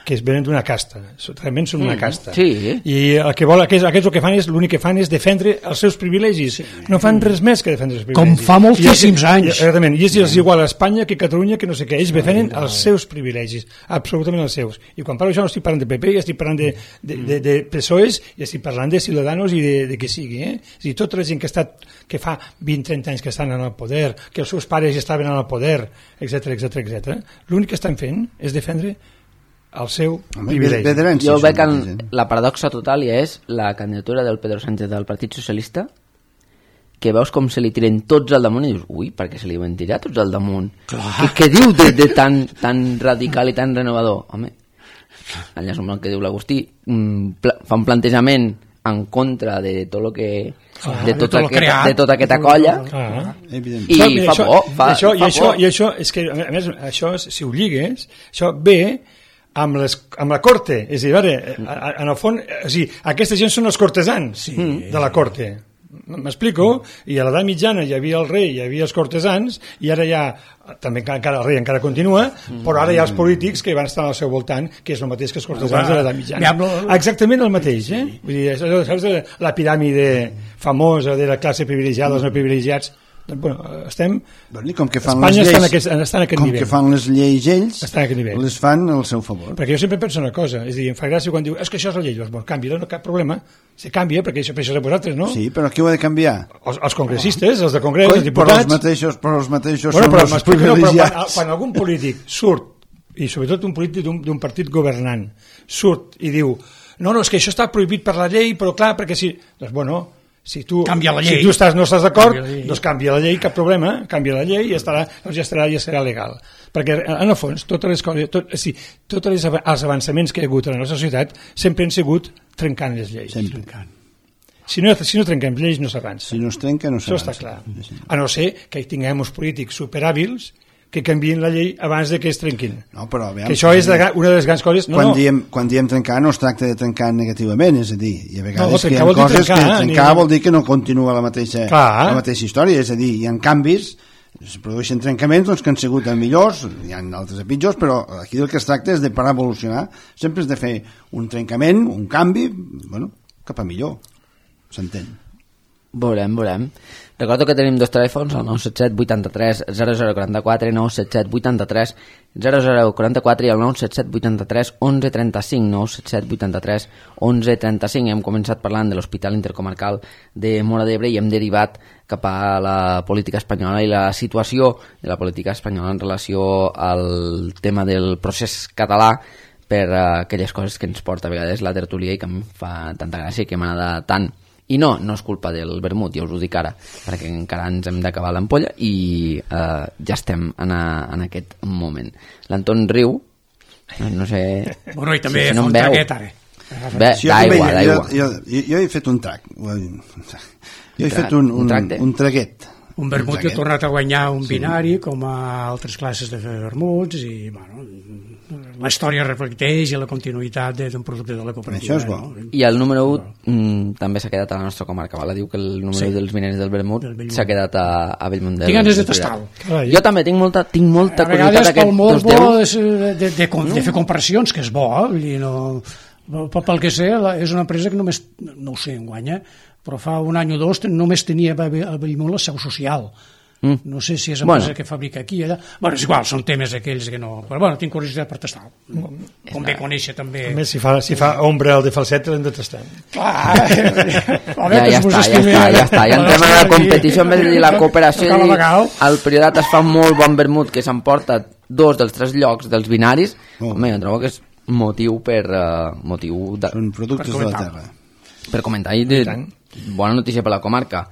Que es venen d'una casta, realment són una casta. Sí. I el que vol, aquests, aquests el que fan és, l'únic que fan és defendre els seus privilegis. Sí. No fan res més que defendre els privilegis. Com fa moltíssims I, anys. Exactament, i és, és igual a Espanya que a Catalunya, que no sé què, ells defenen els seus privilegis, absolutament els seus. I quan parlo això no estic parlant de P P, ja estic parlant de, de, de, de P S O Es, i estic parlant de Ciudadanos i de, de que sigui. Eh? És a dir, tota la gent que, ha estat, que fa vint trenta anys que estan en el poder, que els seus pares ja estaven en el poder, etcètera, etcètera, etcètera, l'únic que estan fent és defendre el seu privilegi. Jo veig que la paradoxa total ja és la candidatura del Pedro Sánchez del Partit Socialista, que veus com se li tiren tots al damunt i dius, ui, per què se li van tirar tots al damunt? Què, què diu de, de tan, tan radical i tan renovador? Home, allà som el que diu l'Agustí, fa un plantejament en contra de tot el que... Ah, de, tot de, tot aquest, de tota aquesta colla ah, i fa això, por, fa, això, fa i, això, por. I això és que, a més, això, si ho lligues, això ve amb, les, amb la corte, és a dir, veure, en el fons, o sigui, aquesta gent són els cortesans sí. de la corte, m'explico? I a l'edat mitjana hi havia el rei, hi havia els cortesans, i ara ja, també encara el rei encara continua, però ara hi ha els polítics que van estar al seu voltant, que és el mateix que els cortesans de l'edat mitjana. Exactament el mateix, eh? Vull dir, saps la piràmide famosa de la classe privilegiada, els no privilegiats? Bueno, estem... Bueno, com que fan Espanya les lleis, està en aquest, està en aquest com nivell. que fan les lleis ells, nivell. les fan al seu favor. Perquè jo sempre penso una cosa, és a dir, em fa gràcia quan diu és que això és la llei, doncs, bueno, canvia, no cap problema, se canvia, perquè això, això és de vosaltres, no? Sí, però qui ho ha de canviar? Els, els congressistes, els de congrés, Coi, els diputats... Però els mateixos, però els mateixos bueno, són però, els privilegiats. No, quan, quan algun polític surt, i sobretot un polític d'un partit governant, surt i diu no, no, és que això està prohibit per la llei, però clar, perquè si... Doncs, bueno... Si tu, canvia la llei. Si tu estàs, no estàs d'acord, doncs canvia la llei, cap problema, canvia la llei i estarà, doncs ja estarà, ja serà legal. Perquè, en el fons, totes les coses, tot, sí, tots els avançaments que hi ha hagut en la nostra societat sempre han sigut trencant les lleis. Sempre. Trencant. Si no, si no trenquem lleis, no s'avança. Si no es trenca, no s'avança. Això està clar. A no ser que hi tinguem uns polítics superhàbils que canvien la llei abans de que es trenquin. No, però, aviam, que això és de, una de les grans coses... No, quan, no. Diem, quan diem trencar no es tracta de trencar negativament, és a dir, i a vegades no, que hi ha coses trencar, que trencar ni... vol dir que no continua la mateixa, la mateixa història, és a dir, hi ha canvis, es produeixen trencaments doncs, que han sigut millors, hi ha altres a pitjors, però aquí el que es tracta és de parar a evolucionar, sempre és de fer un trencament, un canvi, bueno, cap a millor, s'entén. Veurem, veurem. Recordo que tenim dos telèfons, el nou set set vuitanta-tres zero zero quaranta-quatre, nou set set vuitanta-tres zero zero quaranta-quatre i el nou set set vuitanta-tres onze trenta-cinc, nou set set vuitanta-tres onze trenta-cinc. Hem començat parlant de l'Hospital Intercomarcal de Móra d'Ebre i hem derivat cap a la política espanyola i la situació de la política espanyola en relació al tema del procés català per aquelles coses que ens porta a vegades la tertúlia i que em fa tanta gràcia i que m'agrada tant. I no, no és culpa del vermut, ja us ho dic ara, perquè encara ens hem d'acabar l'ampolla i eh, ja estem en, a, en aquest moment. L'Anton riu, no, no sé... Bueno, i també si fa no un traguet, ara. Bé, d'aigua, d'aigua. Jo, jo, jo he fet un trac. Jo he fet un, un, un, un traguet. Un vermut que ha tornat a guanyar un binari, com a altres classes de vermuts, i, bueno, la història reflecteix i la continuïtat d'un producte de la cooperativa. Això és bo. No? I el número u mm, també s'ha quedat a la nostra comarca, vala? Diu que el número sí. dels mineris del vermut s'ha quedat a, a Bellmunt. Tinc ganes de tastar-ho. Jo també tinc molta, tinc molta a vegades pel molt bo de, de, de, de, no? de fer comparacions, que és bo, eh? No, pel que sé, és una empresa que només, no ho sé, en guanya, però fa un any o dos només tenia a Bellmunt la seu social. Mm. No sé si és empresa bueno. que fabrica aquí allà. Bueno, és igual, són temes aquells que no... Però bueno, tinc curiositat per tastar. Mm. Convé conèixer també... A més, si fa, si fa ombra el de falset, l'hem de tastar. Clar! ja, ja, està, ja està, ja està. Ja entrem a la competició, en vez de dir la cooperació. El Priorat es fa molt bon vermut, que s'emporta dos dels tres llocs dels binaris. Oh. Home, jo trobo que és motiu per... Uh, motiu de... Són productes de la terra. Per comentar, i de... bona notícia per la comarca.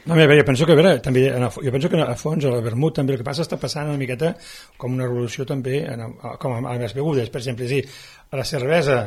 No, a veure, jo penso que, a veure, també, jo penso que a fons, a la vermut, també el que passa està passant una miqueta com una revolució també, en, com a les begudes, per exemple, sí, a la cervesa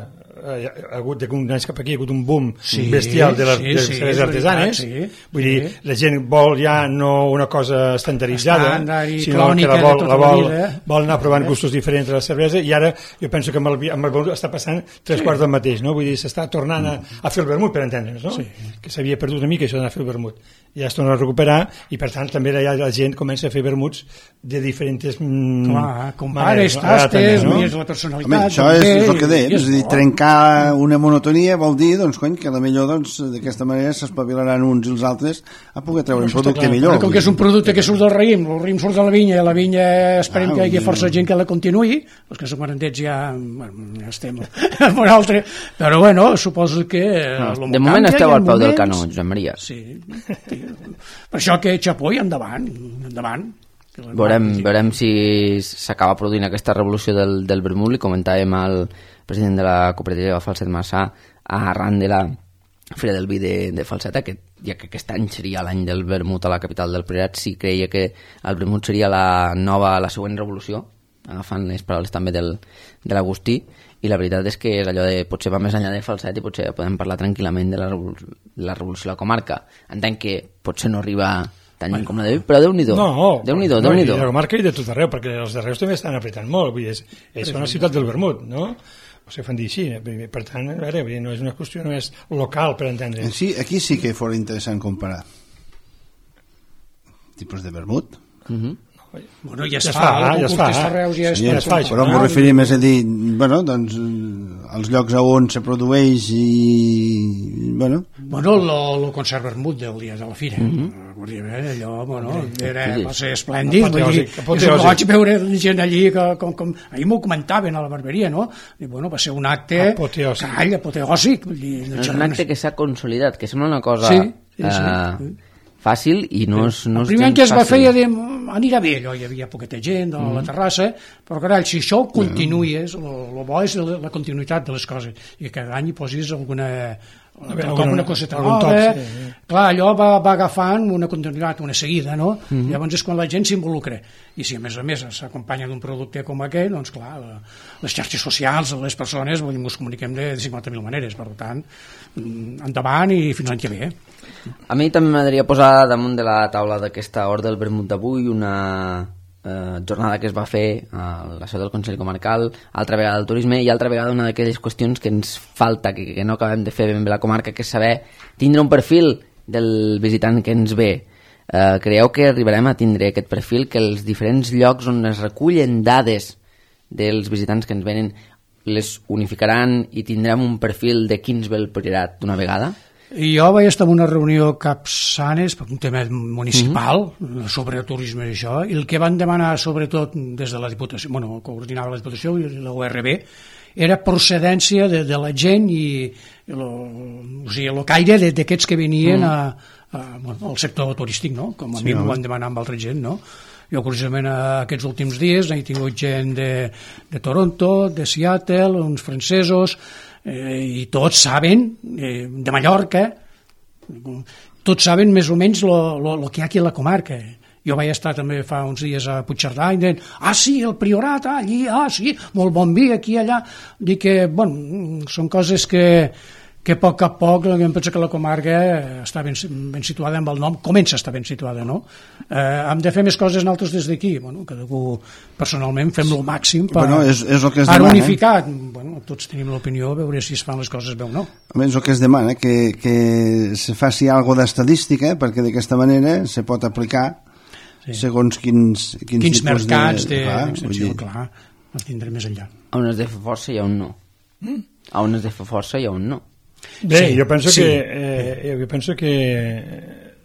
eh, ha hagut d'un any cap aquí, ha hagut un boom sí, bestial de les, sí, de les sí, cerveses artesanes, sí, vull sí. dir, la gent vol ja no una cosa estandarditzada, sinó que la vol, la vol, vol anar provant gustos diferents de la cervesa, i ara jo penso que amb el, amb el vermut està passant tres sí. quarts del mateix, no? Vull dir, s'està tornant a, a fer el vermut, per entendre'ns, no? Sí. Que s'havia perdut una mica això d'anar a fer el vermut. Ja es torna a recuperar, i per tant també ja la gent comença a fer vermuts de diferents mm, clar, compares, tastes, no? És la personalitat. Home, això és el que dèiem, és a dir, trencar una monotonia vol dir, doncs, cony, que potser doncs, d'aquesta manera s'espavilaran uns i els altres a poder treure un producte millor. Però com que és un producte que surt del raïm, el raïm surt de la vinya, i la vinya esperem ah, que hi hagi força gent que la continuï, els que som quarantets ja, bueno, ja estem a un altre, però bueno, suposo que... No, de moment esteu al peu del canó, Josep Maria. Sí, sí. Per això que xapó i endavant, endavant. Veurem, veurem si s'acaba produint aquesta revolució del, del vermut. Li comentàvem al president de la cooperativa Falset Massà arran de la Fira del Vi de, de Falset, que ja que aquest any seria l'any del vermut a la capital del Priorat, si creia que el vermut seria la nova, la següent revolució, agafant les paraules també del, de l'Agustí, i la veritat és que és allò de potser va més enllà de Falset i potser podem parlar tranquil·lament de la, revol la revolució a la comarca. Entenc que potser no arriba tan lluny com la de Vic, però Déu-n'hi-do. No, Déu-n'hi-do, no, Déu-n'hi-do. I la comarca i de tot arreu, perquè els darreus també estan apretant molt. Vull dir, és, és una ciutat del vermut, no? O sigui, fan dir així. Per tant, a veure, no és una qüestió només local, per entendre. Sí, aquí sí que fos interessant comparar tipus de vermut. Mhm. Bueno, ja es ja fa, fa, ja es fa, ja es sí, ja es fa, però m'ho referim més a dir, bueno, doncs, els llocs on se produeix i, bueno... Bueno, el concert vermut del dia de la fira, mm -hmm. allò, bueno, era, va ser esplèndid, vull dir, jo vaig veure gent allí, que, com, com, ahir m'ho comentaven a la barberia, no? I, bueno, va ser un acte, call, apoteòsic, vull dir... És un acte que s'ha consolidat, que sembla una cosa... Sí, sí, sí. Uh, fàcil i no és, no és el primer any que es va fer ja de, anirà bé allò, hi havia poqueta gent a la terrassa, però carai, si això continuï, el bo és la, la continuïtat de les coses, i cada any hi posis alguna com una coseta nova, sí, sí. Clar, allò va, va agafant una continuïtat, una seguida, no? Uh -huh. Llavors és quan la gent s'involucra, i si a més a més s'acompanya d'un producte com aquest, doncs clar, la, les xarxes socials, les persones, vull dir, ens comuniquem de, de cinquanta mil maneres, per tant, endavant i fins l'any que ve. A mi també m'agradaria posar damunt de la taula d'aquesta hora del vermut d'avui una eh, jornada que es va fer a la seu del Consell Comarcal, altra vegada el turisme i altra vegada una d'aquelles qüestions que ens falta, que, que no acabem de fer ben bé la comarca, que és saber tindre un perfil del visitant que ens ve. Eh, creieu que arribarem a tindre aquest perfil, que els diferents llocs on es recullen dades dels visitants que ens venen les unificaran i tindrem un perfil de quins ve el Priorat d'una vegada? Jo vaig estar en una reunió Capçanes per un tema municipal mm -hmm. sobre turisme i això, i el que van demanar sobretot des de la Diputació, bueno, coordinava la Diputació i la U R B, era procedència de, de la gent i lo, o sigui, el caire d'aquests que venien mm. a, a, bueno, al sector turístic, no? Com a sí, mi m'ho no? van demanar amb altra gent, no? Jo, curiosament, aquests últims dies he tingut gent de, de Toronto, de Seattle, uns francesos, eh, i tots saben, eh, de Mallorca, tots saben més o menys el que hi ha aquí a la comarca. Jo vaig estar també fa uns dies a Puigcerdà i deien, ah sí, el Priorat, ah, allí, ah sí, molt bon vi, aquí, allà. Dic que, bueno, són coses que... que a poc a poc em penso que la comarca està ben, ben situada amb el nom, comença a estar ben situada, no? Eh, hem de fer més coses nosaltres des d'aquí, bueno, cadascú personalment fem el màxim per bueno, és, és el que es demana, unificar, bueno, tots tenim l'opinió, veure si es fan les coses bé o no. És el que es demana, que, que se faci alguna d'estadística, perquè d'aquesta manera se pot aplicar sí. segons quins, quins, quins mercats de, d'extensió, de, clar, els tindrem més enllà. A on es de fer força i a on no. Mm? A on es de fer força i a on no. Bé, sí, jo penso sí. que eh, jo penso que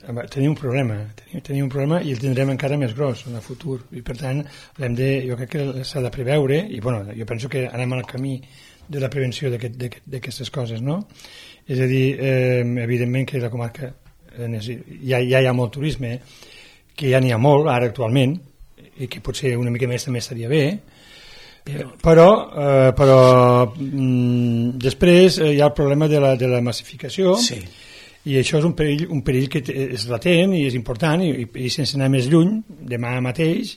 tenim un problema, tenim, tenim un problema i el tindrem encara més gros en el futur, i per tant l'hem de, jo crec que s'ha de preveure, i bueno, jo penso que anem al camí de la prevenció d'aquestes coses, no? És a dir, eh, evidentment que la comarca ja, ja hi ha molt turisme, que ja n'hi ha molt ara actualment, i que potser una mica més també estaria bé, però, eh, però mm, després eh, hi ha el problema de la, de la massificació, sí. I això és un perill, un perill que és latent i és important, i, i sense anar més lluny, demà mateix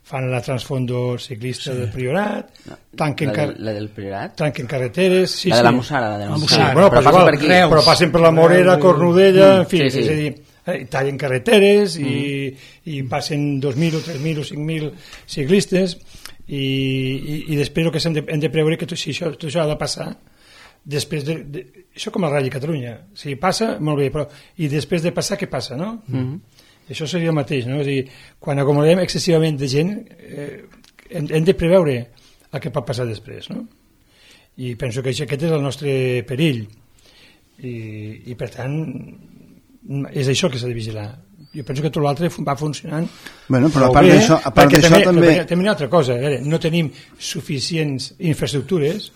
fan la transfondo ciclista sí. del Priorat, no, tanquen, la, de, la del Priorat? Tanquen carreteres... Sí, la de la sí. Mussara, la de la Mussara. Mussara. Sí, bueno, però, però, passen igual, per aquí. però passen per la Morera, Cornudella, en fi, sí, sí. és a dir, eh, tallen carreteres mm. i, i passen dos mil o tres mil o cinc mil ciclistes i, i, i després el que hem de, hem de preveure que tot, si això, tot això ha de passar després de, de, això com el Rally Catalunya, si passa, molt bé, però i després de passar, què passa, no? Mm. Això seria el mateix, no? És a dir, quan acomodem excessivament de gent, eh, hem, hem de preveure el que pot passar després, no? I penso que aquest és el nostre perill. I, i per tant, és això que s'ha de vigilar. Jo penso que tot l'altre va funcionant. Bueno, però a part d'això també... també... També una altra cosa, veure, no tenim suficients infraestructures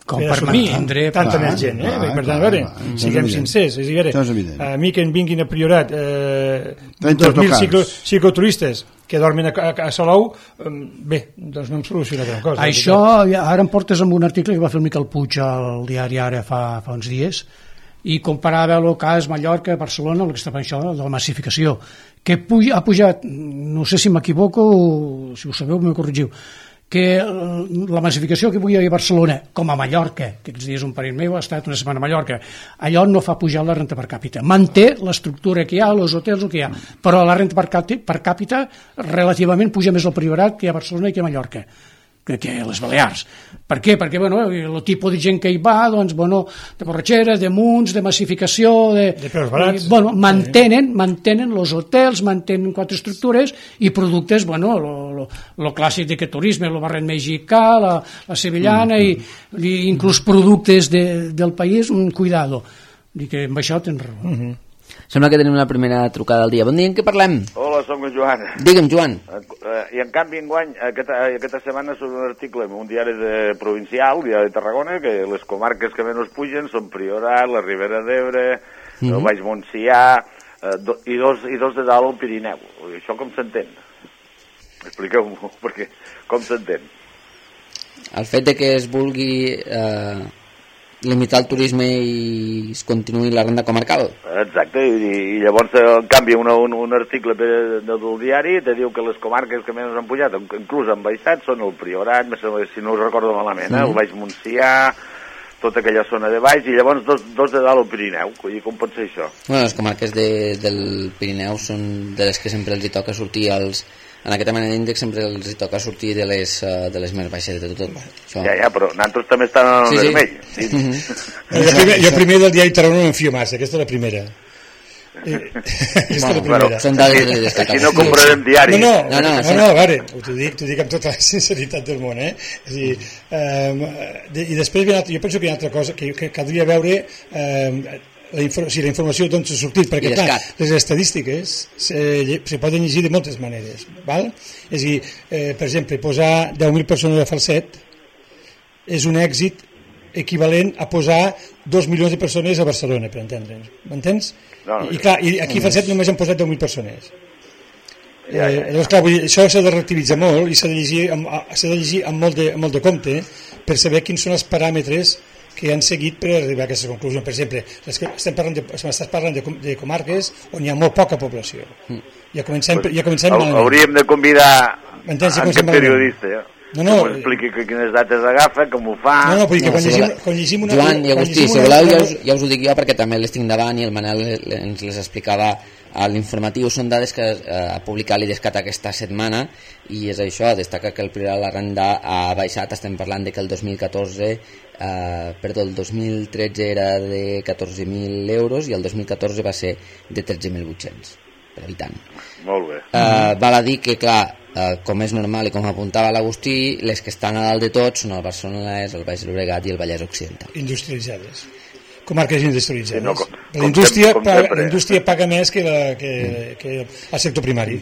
com per assumir tanta més gent, eh? Per tant, a veure, siguem sincers, és a dir, a mi que en vinguin a Priorat eh, dos mil ciclo, cicloturistes que dormen a, a, a Salou, bé, doncs no em soluciona gran cosa. Això, ara em portes amb un article que va fer el Miquel Puig al diari Ara fa, fa uns dies, i comparava el cas Mallorca, Barcelona, el que està per això, de la massificació, que puja, ha pujat, no sé si m'equivoco, si ho sabeu, m'ho corregiu, que la massificació que avui hi ha a Barcelona, com a Mallorca, que aquests dies un parell meu ha estat una setmana a Mallorca, allò no fa pujar la renta per càpita. Manté l'estructura que hi ha, els hotels, el que hi ha, però la renta per càpita relativament puja més al Priorat que a Barcelona i que a Mallorca, que a les Balears. Per què? Perquè, bueno, el tipus de gent que hi va, doncs, bueno, de borratxeres, de munts, de massificació, de... De preus barats. Eh, bueno, mantenen, mantenen els hotels, mantenen quatre estructures i productes, bueno, lo, lo, lo clàssic de que turisme, el barret mexicà, la, la sevillana, mm -hmm. i, i inclús productes de, del país, un cuidado. I que amb això tens raó. Mm -hmm. Sembla que tenim la primera trucada del dia. Bon dia, en què parlem? Hola, som en Joan. Digue'm, Joan. Uh, I en canvi, enguany, aquesta, aquesta setmana surt un article en un diari de provincial, diari de Tarragona, que les comarques que menys pugen són Priorat, la Ribera d'Ebre, mm -hmm. el Baix Montsià, uh, do, i, dos, i dos de dalt al Pirineu. Això com s'entén? Expliqueu-m'ho, perquè com s'entén? El fet de que es vulgui... Eh... limitar el turisme i es continuï la renda comarcal. Exacte, i, i llavors en canvi una, un, un article de, de, del diari te diu que les comarques que menys han pujat, inclús han baixat, són el Priorat, si no ho recordo malament, eh? El Baix Montsià, tota aquella zona de baix, i llavors dos, dos de dalt al Pirineu. I com pot ser això? Bueno, les comarques de, del Pirineu són de les que sempre els hi toca sortir als... En aquesta manera d'índex sempre els hi toca sortir de les, uh, de les més baixes de tot. Això. Ja, ja, però nosaltres també estan en el sí, vermell. Sí. Sí. Mm -hmm. jo, primer, jo primer del diari Tarragona no m'enfio massa, aquesta és la primera. Eh, aquesta bueno, és la primera. Però, són dades de destacar. Si no comprarem diari. No, no, no, no, no, no, no, a veure, t'ho dic, t'ho dic amb tota la sinceritat del món, eh? És a dir, eh, de, i després jo penso que hi ha una altra cosa que, que caldria veure... Eh, la, infor si la informació d'on s'ha sortit, perquè clar, les estadístiques se, se poden llegir de moltes maneres, val? És a dir, eh, per exemple, posar deu mil persones a Falset és un èxit equivalent a posar dos milions de persones a Barcelona, per entendre'ns, m'entens? No, no, I clar, i aquí a Falset només han posat deu mil persones. Eh, llavors, clar, vull dir, això s'ha de relativitzar molt i s'ha de llegir amb, s'ha de llegir amb molt de, amb molt de compte per saber quins són els paràmetres que han seguit per arribar a aquestes conclusions. Per exemple, estem parlant de, estàs parlant de, de comarques on hi ha molt poca població. Ja comencem, ja comencem malament. Hauríem de convidar a aquest periodista, ja. No, no, que expliqui que quines dates agafa, com ho fa... No, no, vull dir que quan, no, llegim, quan llegim una... Joan i Agustí, si voleu, ja us, ja us ho dic jo perquè també les tinc davant i el Manel ens les explicava a l'informatiu. Són dades que eh, ha publicat l'Idescat aquesta setmana i és això, destaca que el Priorat de la renda ha baixat. Estem parlant de que el dos mil catorze Uh, perdó, el dos mil tretze era de catorze mil euros i el dos mil catorze va ser de tretze mil vuit-cents per habitant. Molt bé. Uh, val a dir que, clar, uh, com és normal i com apuntava l'Agustí, les que estan a dalt de tot són el Barcelona, el Baix Llobregat i el Vallès Occidental. Industrialitzades. Comarques industrialitzades. Sí, no, La indústria, paga, la indústria paga més que, la, que, que el sector primari.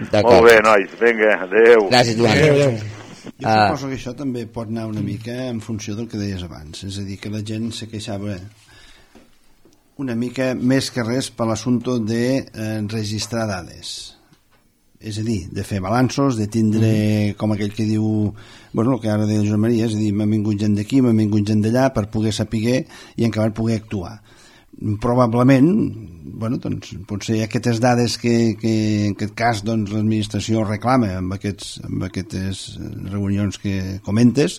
Molt bé, nois, vinga, adeu. Gràcies, Joan. Adéu, adéu. Jo suposo que això també pot anar una mica en funció del que deies abans, és a dir, que la gent se queixava una mica més que res per l'assumpte de eh, registrar dades, és a dir, de fer balanços, de tindre, mm. com aquell que diu, bueno, el que ara deia Josep Maria, és a dir, m'ha vingut gent d'aquí, m'ha vingut gent d'allà per poder saber i en acabar poder actuar. Probablement, bueno, doncs, potser aquestes dades que, que en aquest cas doncs, l'administració reclama amb, aquests, amb aquestes reunions que comentes,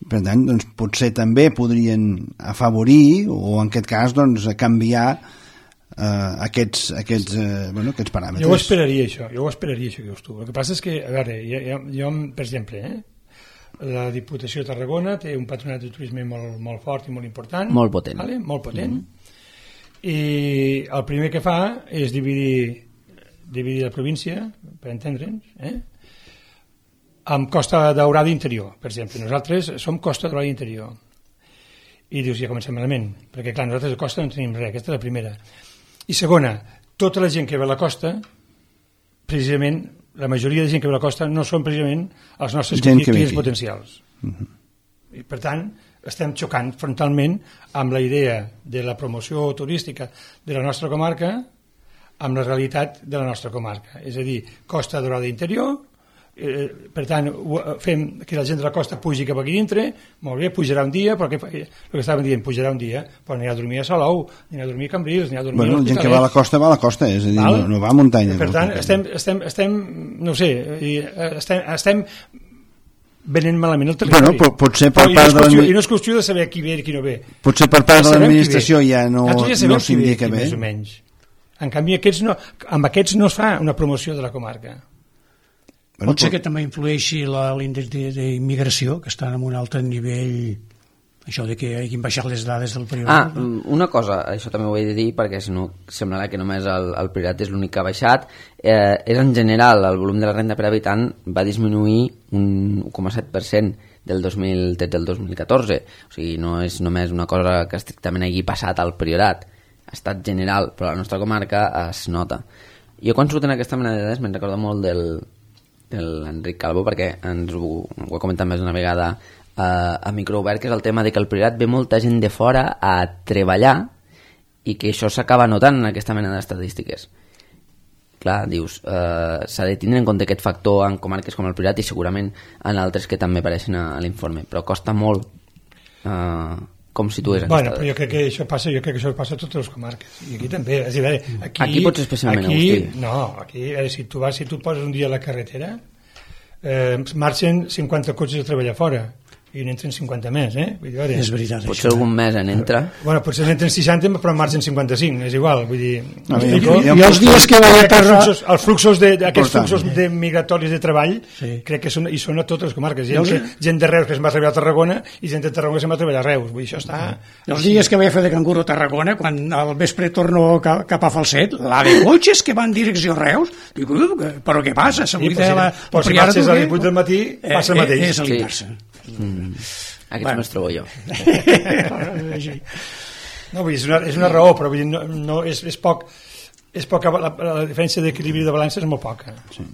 per tant, doncs, potser també podrien afavorir o en aquest cas doncs, canviar eh, aquests, aquests, eh, bueno, aquests paràmetres. Jo ho esperaria això, jo ho esperaria això que dius tu. El que passa és que, a veure, jo, jo per exemple, eh, la Diputació de Tarragona té un patronat de turisme molt, molt fort i molt important. Molt potent. Vale? Molt potent. Mm-hmm. I el primer que fa és dividir, dividir la província, per entendre'ns, eh? amb Costa Daurada interior, per exemple. Nosaltres som Costa Daurada interior. I dius, ja comencem malament, perquè clar, nosaltres a costa no tenim res, aquesta és la primera. I segona, tota la gent que ve a la costa, precisament, la majoria de gent que ve a la costa no són precisament els nostres clients potencials. Uh-huh. I per tant, estem xocant frontalment amb la idea de la promoció turística de la nostra comarca amb la realitat de la nostra comarca. És a dir, Costa Daurada interior, eh, per tant, fem que la gent de la costa pugi cap aquí dintre, molt bé, pujarà un dia, però que, el que estàvem dient, pujarà un dia, però anirà a dormir a Salou, anirà a dormir a Cambrils, anirà a dormir bueno, a l'Hospitalet. La gent que va a la costa va a la costa, és a dir, no, no va a muntanya. Per tant, estem, estem, estem, no sé, estem, estem venent malament el territori. Bueno, potser per però, part i, no de I no és qüestió de saber qui ve i qui no ve. Potser per part de l'administració ja no, ja no s'indica bé. Més o menys. En canvi, aquests no, amb aquests no es fa una promoció de la comarca. Bueno, pot ser que també influeixi l'índex d'immigració, que està en un altre nivell, això de que hagin baixat les dades del Priorat. Ah, una cosa, això també ho he de dir, perquè si no semblarà que només el, el Priorat és l'únic que ha baixat, eh, és en general el volum de la renda per habitant va disminuir un un coma set per cent del dos mil tretze al dos mil catorze, o sigui, no és només una cosa que estrictament hagi passat al Priorat, ha estat general, però a la nostra comarca es nota. Jo quan surten aquesta mena de dades me'n recordo molt del, de l'Enric Calvo, perquè ens ho, ho he comentat més d'una vegada a, a microobert, que és el tema de que al Priorat ve molta gent de fora a treballar i que això s'acaba notant en aquesta mena d'estadístiques. Clar, dius, eh, s'ha de tindre en compte aquest factor en comarques com el Priorat i segurament en altres que també apareixen a, a l'informe, però costa molt eh, com situes bueno, però jo crec que això passa, jo crec que això passa a totes les comarques i aquí també, és a dir, aquí, aquí potser especialment aquí, Agustí. No, aquí, veure, si tu vas, si tu poses un dia a la carretera eh, marxen cinquanta cotxes a treballar fora i n'entren cinquanta més, eh? Vull dir, veure, és veritat, potser això. Algun mes n'entra. Bueno, potser n'entren seixanta, però en marxen cinquanta-cinc, és igual, vull dir... No, i, i, i els dies que va a terra... Els, els fluxos, de, aquests fluxos de migratoris de treball, sí. Crec que són, i són a totes les comarques. Gent, que, gent de Reus que es va treballar a Tarragona i gent de Tarragona que se'n va treballar a Reus. Vull dir, això està... I els dies que vaig fer de canguro a Tarragona, quan al vespre torno cap, cap a Falset, la de cotxes que van direcció a Reus, dic, però què passa? Sí, però si, però si marxes a les vuit del matí, passa el mateix. És a l'inversa. Mm. Aquests bueno. Me'ls trobo jo. No, vull dir, és una, és una raó, però vull dir, no, no, és, és poc, és poca, la, la diferència d'equilibri de balança és molt poca. Sí.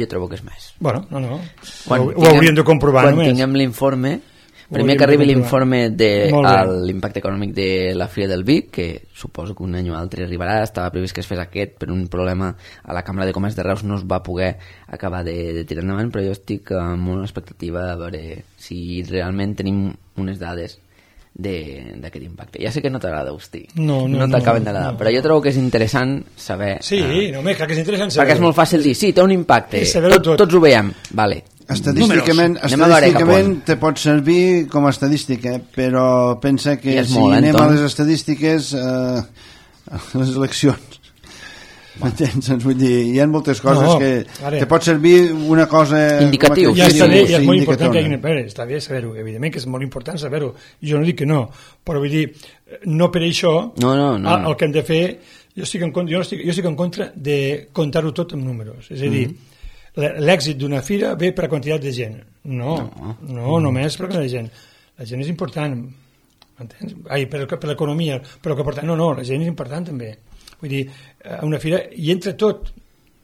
Jo trobo que és més. Bueno, no, no. Quan ho, ho hauríem de comprovar quan només. Quan tinguem l'informe, primer que arribi l'informe de l'impacte econòmic de la Fira del Vi, que suposo que un any o altre arribarà, estava previst que es fes aquest, per un problema a la Cambra de Comerç de Reus no es va poder acabar de, de tirar endavant, però jo estic amb una expectativa a veure si realment tenim unes dades d'aquest impacte. Ja sé que no t'agrada, Agustí, no, no, no t'acaben no, d'agradar, no. Però jo trobo que és interessant saber... Sí, eh, no, clar que és interessant saber. Perquè és molt fàcil dir, sí, té un impacte, tot, tot. tots ho veiem, vale. Estadísticament, estadísticament te pot servir com a estadística, però pensa que si molt, anem a les estadístiques eh, a les eleccions, m'entens? Vull dir, hi ha moltes coses no, que ara, te pot servir una cosa indicatiu. Ja està bé, i és molt important que hi hagi, està bé saber-ho, evidentment que és molt important saber-ho, jo no dic que no, però vull dir, no per això no, no, no, el, el que hem de fer, jo estic en contra, jo estic, jo estic en contra de comptar-ho tot amb números, és a dir, mm-hmm. l'èxit d'una fira ve per a quantitat de gent. No, no, no només per a quantitat de gent. La gent és important. m'entens? Ai, per, per l'economia, però que porta... No, no, la gent és important també. Vull dir, a una fira hi entra tot,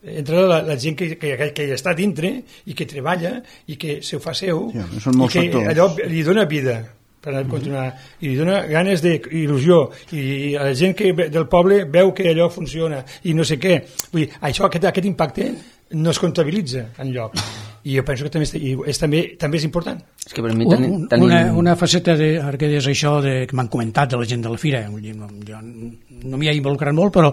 entre la, la gent que, que, que hi està dintre i que treballa i que se ho fa seu, sí, són molts i que factors. Allò li dona vida per continuar, i li dona ganes d'il·lusió, i la gent que del poble veu que allò funciona i no sé què. Vull dir, això, aquest, aquest impacte no es comptabilitza enlloc, i jo penso que també és, és, també, també és important. És que per mi ten, un, tenim... una, una faceta de, ara que deies això de, que m'han comentat de la gent de la fira, jo no m'hi he involucrat molt, però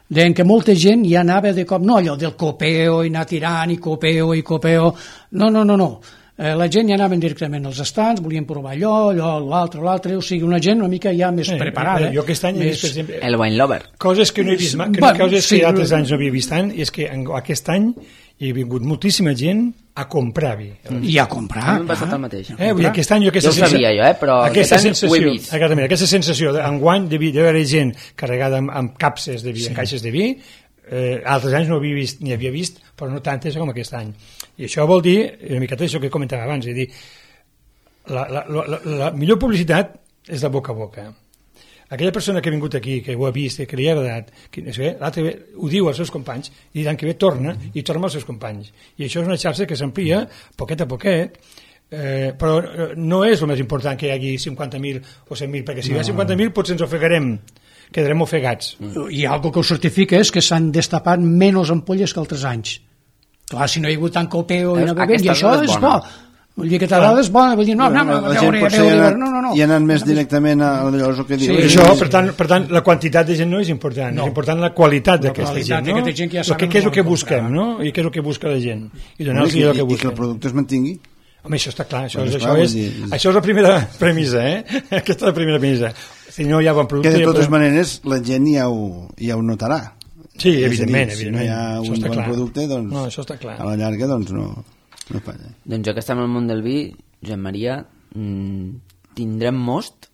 deien que molta gent ja anava de cop, no allò del copeo i anar tirant i copeo i copeo, no, no, no, no. Eh, la gent ja anaven directament als estants, volien provar allò, allò, l'altre, l'altre, o sigui, una gent una mica ja més eh, preparada. Eh, jo aquest any més... he vist, per exemple... El wine lover. Coses que no he vist, que bueno, coses sí, que altres anys no havia vist tant, i és que en, aquest any hi ha vingut moltíssima gent a comprar vi. I a comprar. A mi m'ha passat el mateix. Eh, vull dir, aquest any jo aquesta jo ho sabia jo, eh, però aquesta aquest any sensació, ho he vist. Aquesta, aquesta sensació d'enguany de haver gent carregada amb, amb capses de vi, sí. amb caixes de vi, eh, altres anys no havia vist, ni havia vist, però no tantes com aquest any. I això vol dir, una miqueta això que comentava abans, és dir, la, la, la, la, la millor publicitat és de boca a boca. Aquella persona que ha vingut aquí, que ho ha vist, que li ha agradat, que, l'altre ho diu als seus companys, i l'any que ve torna i torna als seus companys. I això és una xarxa que s'amplia poquet a poquet, eh, però no és el més important que hi hagi cinquanta mil o cent mil, perquè si no. hi ha cinquanta mil potser ens ofegarem, quedarem ofegats. I algo que ho certifica és que s'han destapat menys ampolles que altres anys. Clar, si no hi ha hagut tant copeo i no bevem, i això és bo. Vull dir que t'agrada és bona, vull dir, no, no, no, la gent potser no, no, no. hi ha anat més directament a llavors el que diu. Sí, això, per tant, per tant, la quantitat de gent no és important, no. És important la qualitat d'aquesta gent, no? Gent que ja el que, què és el que busquem, no? I què és el que busca la gent. I donar-los I, el que busquen. I que el producte es mantingui. Home, això està clar, això, bueno, és, clar, això, és, dir... això és la primera premissa, eh? Aquesta és la primera premissa. Si no hi ha bon producte... Que de totes però... maneres la gent ja ho, ja ho notarà. Sí, evidentment, dir, evidentment. Si no hi ha un bon clar. producte, doncs no, això està clar. A la llarga doncs no, no passa. Doncs ja que estem al món del vi, Joan Maria, mmm, tindrem most?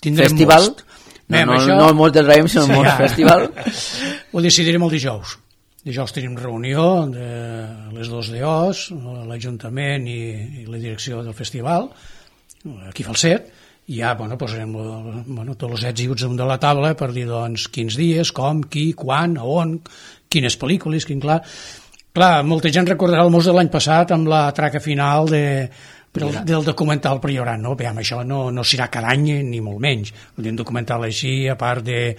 Tindrem festival? most. No, no, això... no el most del raïm, sinó el most ja. festival. Ho decidirem el dijous. Dijous tenim reunió de les dos D Os, l'Ajuntament i, i la direcció del festival, aquí Falset, i ja bueno, posarem bueno, tots els ets i uts de la taula per dir doncs, quins dies, com, qui, quan, on, quines pel·lícules, quin clar... Clar, molta gent recordarà el most de l'any passat amb la traca final de, del, del documental Priorat, no? Bé, això no, no serà cada any ni molt menys. Un documental així, a part de,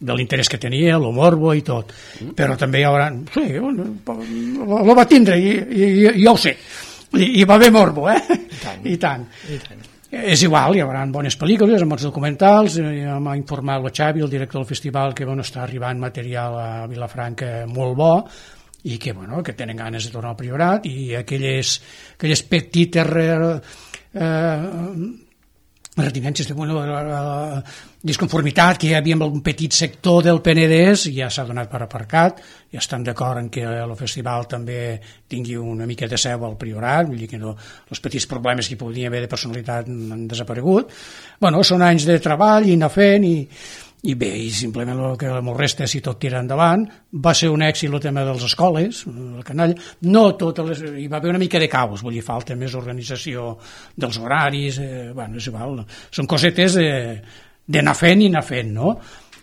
de l'interès que tenia, el morbo i tot. Però també hi haurà... Sí, el va tindre i, i, i jo ho sé. I, i va haver morbo, eh? I tant. I tant. I tant. És igual, hi haurà bones pel·lícules, bons documentals, ja m'ha informat el Xavi, el director del festival, que bueno, està arribant material a Vilafranca molt bo, i que, bueno, que tenen ganes de tornar al Priorat, i aquelles, aquelles petites eh, retinències de bueno, eh, disconformitat que hi havia amb un petit sector del Penedès ja s'ha donat per aparcat, ja estan d'acord en que el festival també tingui una mica de seu al Priorat, vull dir que no, els petits problemes que hi podien haver de personalitat han desaparegut. Bueno, són anys de treball i anar fent i i bé, i simplement el que m'ho resta si tot tira endavant. Va ser un èxit el tema de les escoles, el canalla, no totes les, hi va haver una mica de caos, vull dir, falta més organització dels horaris, eh, bueno, és igual, són cosetes d'anar fent i anar fent, no?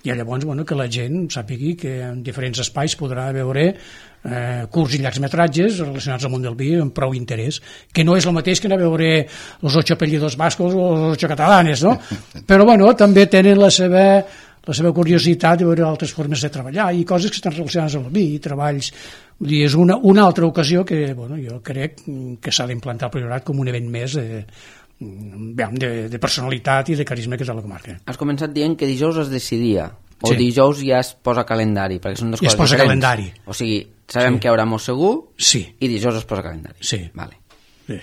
I llavors, bueno, que la gent sàpigui que en diferents espais podrà veure eh, curts i llargs metratges relacionats al món del vi amb prou interès, que no és el mateix que anar a veure els ocho apellidos vascos o els ocho catalanes, no? Però, bueno, també tenen la seva la seva curiositat de veure altres formes de treballar i coses que estan relacionades amb el vi i treballs. Vull dir, és una, una altra ocasió que bueno, jo crec que s'ha d'implantar el Priorat com un event més de, de, de personalitat i de carisma que és a la comarca. Has començat dient que dijous es decidia o sí. dijous ja es posa calendari, perquè són dues ja coses es posa diferents. Calendari. O sigui, sabem sí. que hi haurà molt segur sí. i dijous es posa calendari. Sí. Vale. Sí.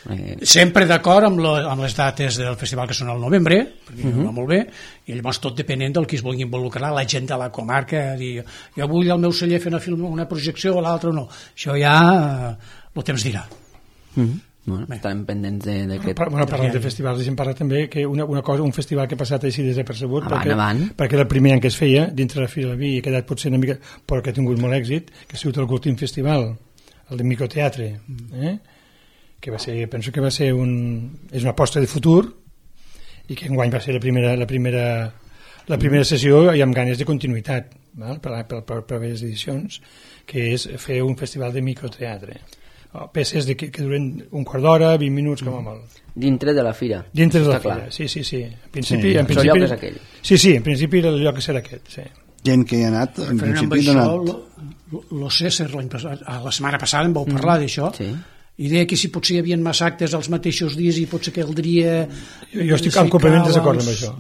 Eh... Sempre d'acord amb, lo, amb les dates del festival que són al novembre, perquè uh-huh. va molt bé, i llavors tot depenent del que es vulgui involucrar, la gent de la comarca, dir, jo vull el meu celler fer una, film, una projecció o l'altre no. Això ja eh, el temps dirà. Uh-huh. Bueno, estarem pendents d'aquest... Bueno, parlant de festivals, deixem parlar també que una, una cosa, un festival que ha passat així desapercebut, avant, perquè, avant. perquè era el primer any que es feia dintre la Fira del Vi i ha quedat potser una mica, però que ha tingut molt èxit, que ha sigut el Cultim Festival, el de microteatre, eh? que va ser, penso que va ser un, és una aposta de futur, i que enguany va ser la primera, la primera, la primera sessió i amb ganes de continuïtat, val? Per, per, per, per les edicions, que és fer un festival de microteatre. Peces de, que, que duren un quart d'hora, vint minuts com a molt. Dintre de la fira. Dintre de la fira, sí, sí, sí. En principi, sí. en principi, el lloc és aquell. Sí, sí, en principi el lloc serà aquest, sí. Gent que hi ha anat, en principi ha anat. Lo César, la setmana passada em vau parlar mm. d'això, sí. I deia que si potser hi havia massa actes els mateixos dies i potser caldria... Jo, jo estic en completament desacord amb això.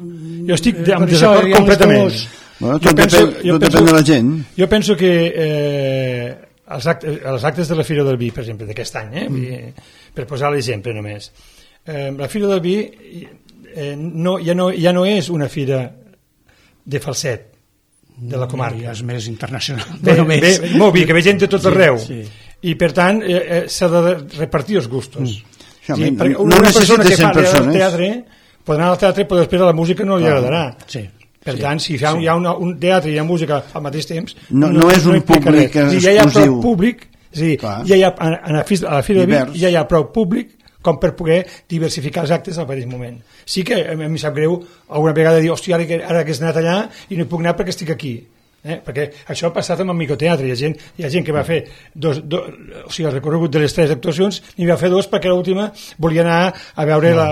Jo estic eh, en desacord completament. Bueno, tot depèn, tot depèn de la gent. Jo penso que eh, els, actes, els actes de la Fira del Vi, per exemple, d'aquest any, eh, mm. per posar l'exemple només, eh, la Fira del Vi eh, no, ja, no, ja no és una fira de Falset, de la comarca. Ja és més internacional. Bé, bé, bé, molt bé, que ve gent de tot arreu. Sí, sí. I per tant eh, eh, s'ha de repartir els gustos. Mm. Sí, no, una no persona que parla persones. del teatre pot anar al teatre però després de la música no li ah. agradarà. Sí. Per sí. tant, si hi ha, sí. hi ha una, un teatre i hi ha música al mateix temps no, no, no és un públic exclusiu. Ja hi ha prou públic, és a dir, ja hi ha, a, a la Fira de Vic ja hi ha prou públic com per poder diversificar els actes al mateix moment. Sí que a mi em sap greu alguna vegada dir, hòstia, ara que, ara que has anat allà i no hi puc anar perquè estic aquí. Eh? Perquè això ha passat amb el microteatre. Hi ha gent, hi ha gent que va fer dos, dos, o sigui, el recorregut de les tres actuacions n'hi va fer dos perquè l'última volia anar a veure no. la,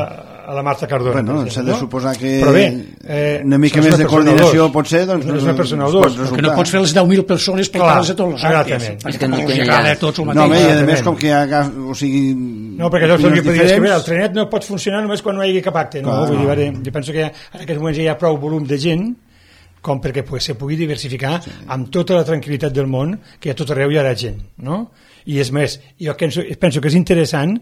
a la Marta Cardona. Bueno, s'ha de suposar que però bé, eh, una mica més de coordinació pot ser, doncs, no és una persona o dos. Que no pots fer les deu mil persones portar-les a tots els actes. És que no té agrada a tots el mateix. No, i a més com que hi ha, o sigui... No, perquè llavors el que podies que el trenet no pot funcionar només quan no hi hagi cap acte. No? Vull dir, veure, jo penso que en aquests moments hi ha prou volum de gent com perquè pues, se pugui diversificar sí. amb tota la tranquil·litat del món, que a tot arreu hi haurà gent, no? I és més, jo penso, penso que és interessant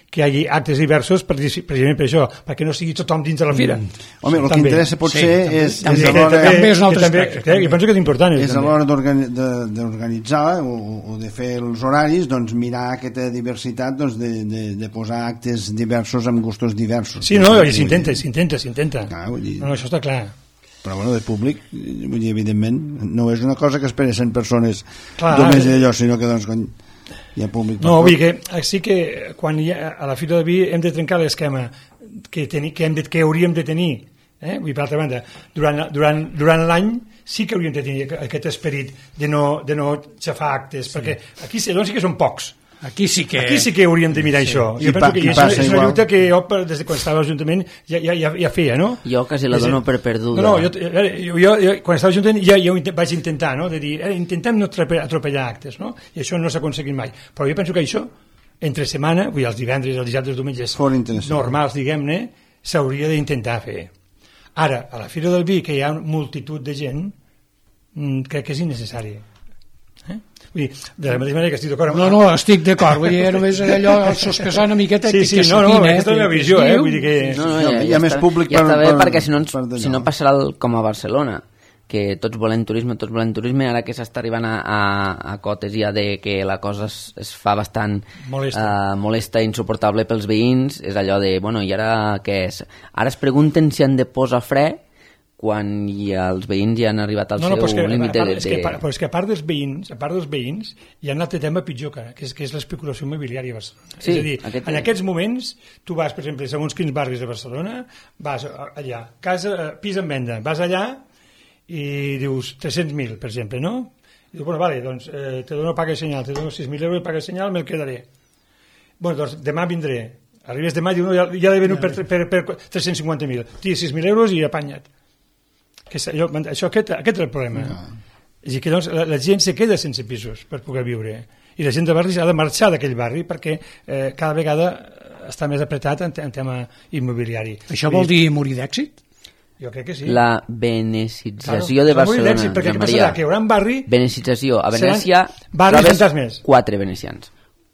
que hi hagi actes diversos per, precisament per això, perquè no sigui tothom dins de la fira. Mm. Home, el que interessa potser sí, és... També, és també, també és un altre aspecte. Que, jo penso que és important. És a l'hora d'organitzar o, o de fer els horaris, doncs mirar aquesta diversitat doncs, de, de, de posar actes diversos amb gustos diversos. Sí, no, s'intenta, s'intenta, s'intenta. Ah, dir... No, això està clar. Però bueno, de públic, vull dir, evidentment no és una cosa que espera cent persones clar, només d'allò, sinó que doncs quan hi ha públic no, vull dir que sí que quan hi ha, a la Fira del Vi hem de trencar l'esquema que, teni, que, hem de, que hauríem de tenir eh? Vull dir, per altra banda, durant, durant, durant l'any sí que hauríem de tenir aquest esperit de no, de no xafar actes, sí. Perquè aquí doncs sí que són pocs. Aquí sí que... Aquí sí que hauríem de mirar sí. això. Jo I penso pa, que és, és una lluita que jo, des de quan estava a l'Ajuntament, ja, ja, ja, ja feia, no? Jo quasi la dono per perduda. No, no, jo, jo, jo, jo quan estava a l'Ajuntament ja, ja ho vaig intentar, no? De dir, eh, intentem no atropellar actes, no? I això no s'ha aconseguit mai. Però jo penso que això, entre setmana, vull dir, els divendres, els dissabtes, els diumenges normals, diguem-ne, s'hauria d'intentar fer. Ara, a la Fira del Vi, que hi ha multitud de gent, crec que és innecessari. Eh? Vull dir, de la mateixa manera que estic d'acord amb... No, no, estic d'acord, vull dir, només allò sospesar una miqueta sí, sí, que no, no, aquesta és la meva visió, eh? Vull dir que... No, no, ja, ja, hi ha ja més està, públic ja per, està bé, per, perquè si no, ens, per si no passarà el, com a Barcelona, que tots volem turisme, tots volem turisme, ara que s'està arribant a, a, a cotes ja de que la cosa es, es fa bastant molesta. Uh, molesta i insuportable pels veïns, és allò de, bueno, i ara què és? Ara es pregunten si han de posar fre quan ja els veïns ja han arribat al no, no, seu límit de... És que, però és que a part dels veïns, a part dels veïns, hi ha un altre tema pitjor que, que és, que és l'especulació immobiliària a Barcelona. Sí, és a dir, aquest... en aquests moments, tu vas, per exemple, segons quins barris de Barcelona, vas allà, casa, pis en venda, vas allà i dius tres-cents mil, per exemple, no? I dius, bueno, vale, doncs eh, te dono paga senyal, te dono sis mil euros de paga senyal, me'l quedaré. Bueno, doncs demà vindré. Arribes demà i dius, no, ja, ja l'he venut per, per, per, per tres-cents cinquanta mil. Tira sis mil euros i apanya't. Que allò, això, aquest, aquest és el problema. No. És a dir, que doncs, la, la gent se queda sense pisos per poder viure. I la gent de barri ha de marxar d'aquell barri perquè eh, cada vegada està més apretat en, en tema immobiliari. Això vol dir morir d'èxit? Jo crec que sí. La benecització claro, de Barcelona. D'èxit, perquè què passarà? Que hi haurà un barri... Benecització. A Venècia trobes quatre venecians.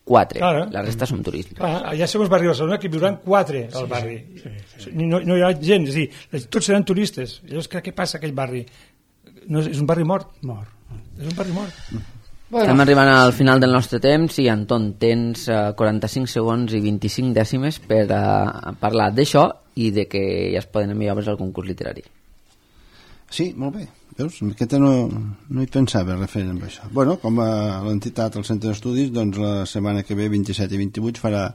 Quatre. Claro. La resta són turistes. Clar, allà segons barri de Barcelona que viuran quatre al sí, barri. Sí, sí, sí. No, no hi ha gent, és a dir, tots seran turistes. Llavors, què passa aquell barri? No, és un barri mort. Mort. És un barri mort. Bueno. Estem arribant al final del nostre temps i, Anton, tens uh, quaranta-cinc segons i vint-i-cinc dècimes per uh, parlar d'això i de que ja es poden enviar al concurs literari. Sí, molt bé. Veus? Aquesta no, no hi pensava referent amb això. Bueno, com a l'entitat al Centre d'Estudis, doncs la setmana que ve, vint-i-set i vint-i-vuit, farà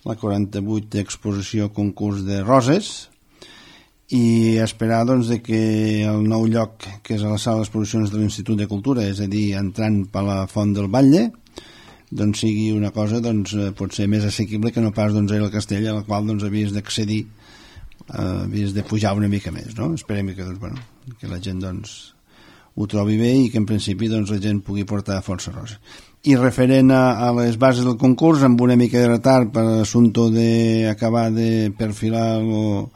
la quaranta-vuitena exposició concurs de roses i esperar doncs, de que el nou lloc, que és a la sala d'exposicions de l'Institut de Cultura, és a dir, entrant per la Font del Batlle, doncs sigui una cosa doncs, potser més assequible que no pas doncs, el castell, a la qual doncs, havies d'accedir, eh, havies de pujar una mica més, no? Esperem que, doncs, bueno, que la gent doncs, ho trobi bé i que en principi doncs, la gent pugui portar força rosa. I referent a, a les bases del concurs, amb una mica de retard per l'assumpte d'acabar de perfilar lo,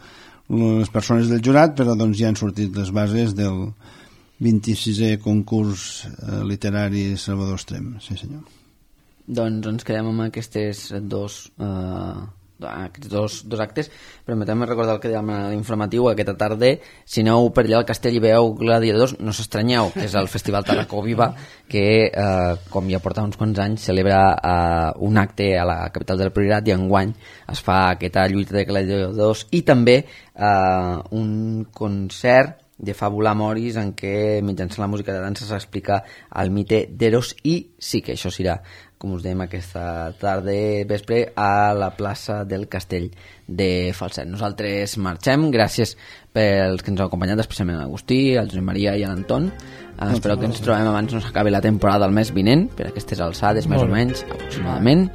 les persones del jurat, però doncs ja han sortit les bases del vint-i-sisè concurs eh, literari Salvador Estrem. Sí, senyor. Doncs ens quedem amb aquestes dos, eh, aquests dos, dos actes. Permetem recordar el que dèiem a l'informatiu aquesta tarda. Si aneu per allà al castell i veieu Gladiadors, no s'estranyeu, que és el Festival Tarracó Viva, que, eh, com ja porta uns quants anys, celebra eh, un acte a la capital del Priorat, i enguany es fa aquesta lluita de gladiadors i també eh, un concert de Fàbula Moris en què mitjançant la música de dansa s'explica el mite d'Eros, i sí que això serà, com us dèiem, aquesta tarda vespre a la plaça del Castell de Falset. Nosaltres marxem, gràcies pels que ens heu acompanyat, especialment a l'Agustí, al Josep Maria i a l'Anton. Uh, espero que ens trobem abans no s'acabi la temporada del mes vinent, per aquestes alçades, més o menys, aproximadament.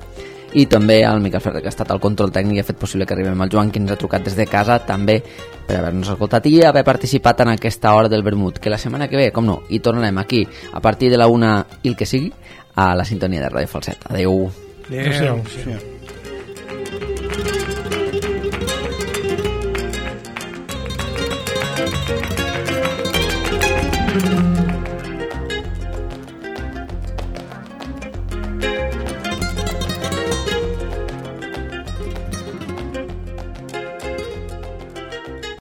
I també al Miquel Ferrer, que ha estat al control tècnic i ha fet possible que arribem al Joan, que ens ha trucat des de casa, també per haver-nos escoltat i haver participat en aquesta hora del vermut, que la setmana que ve, com no, hi tornarem aquí a partir de la una i el que sigui, a la sintonia de Ràdio Falset. Adéu. Adéu. Adéu.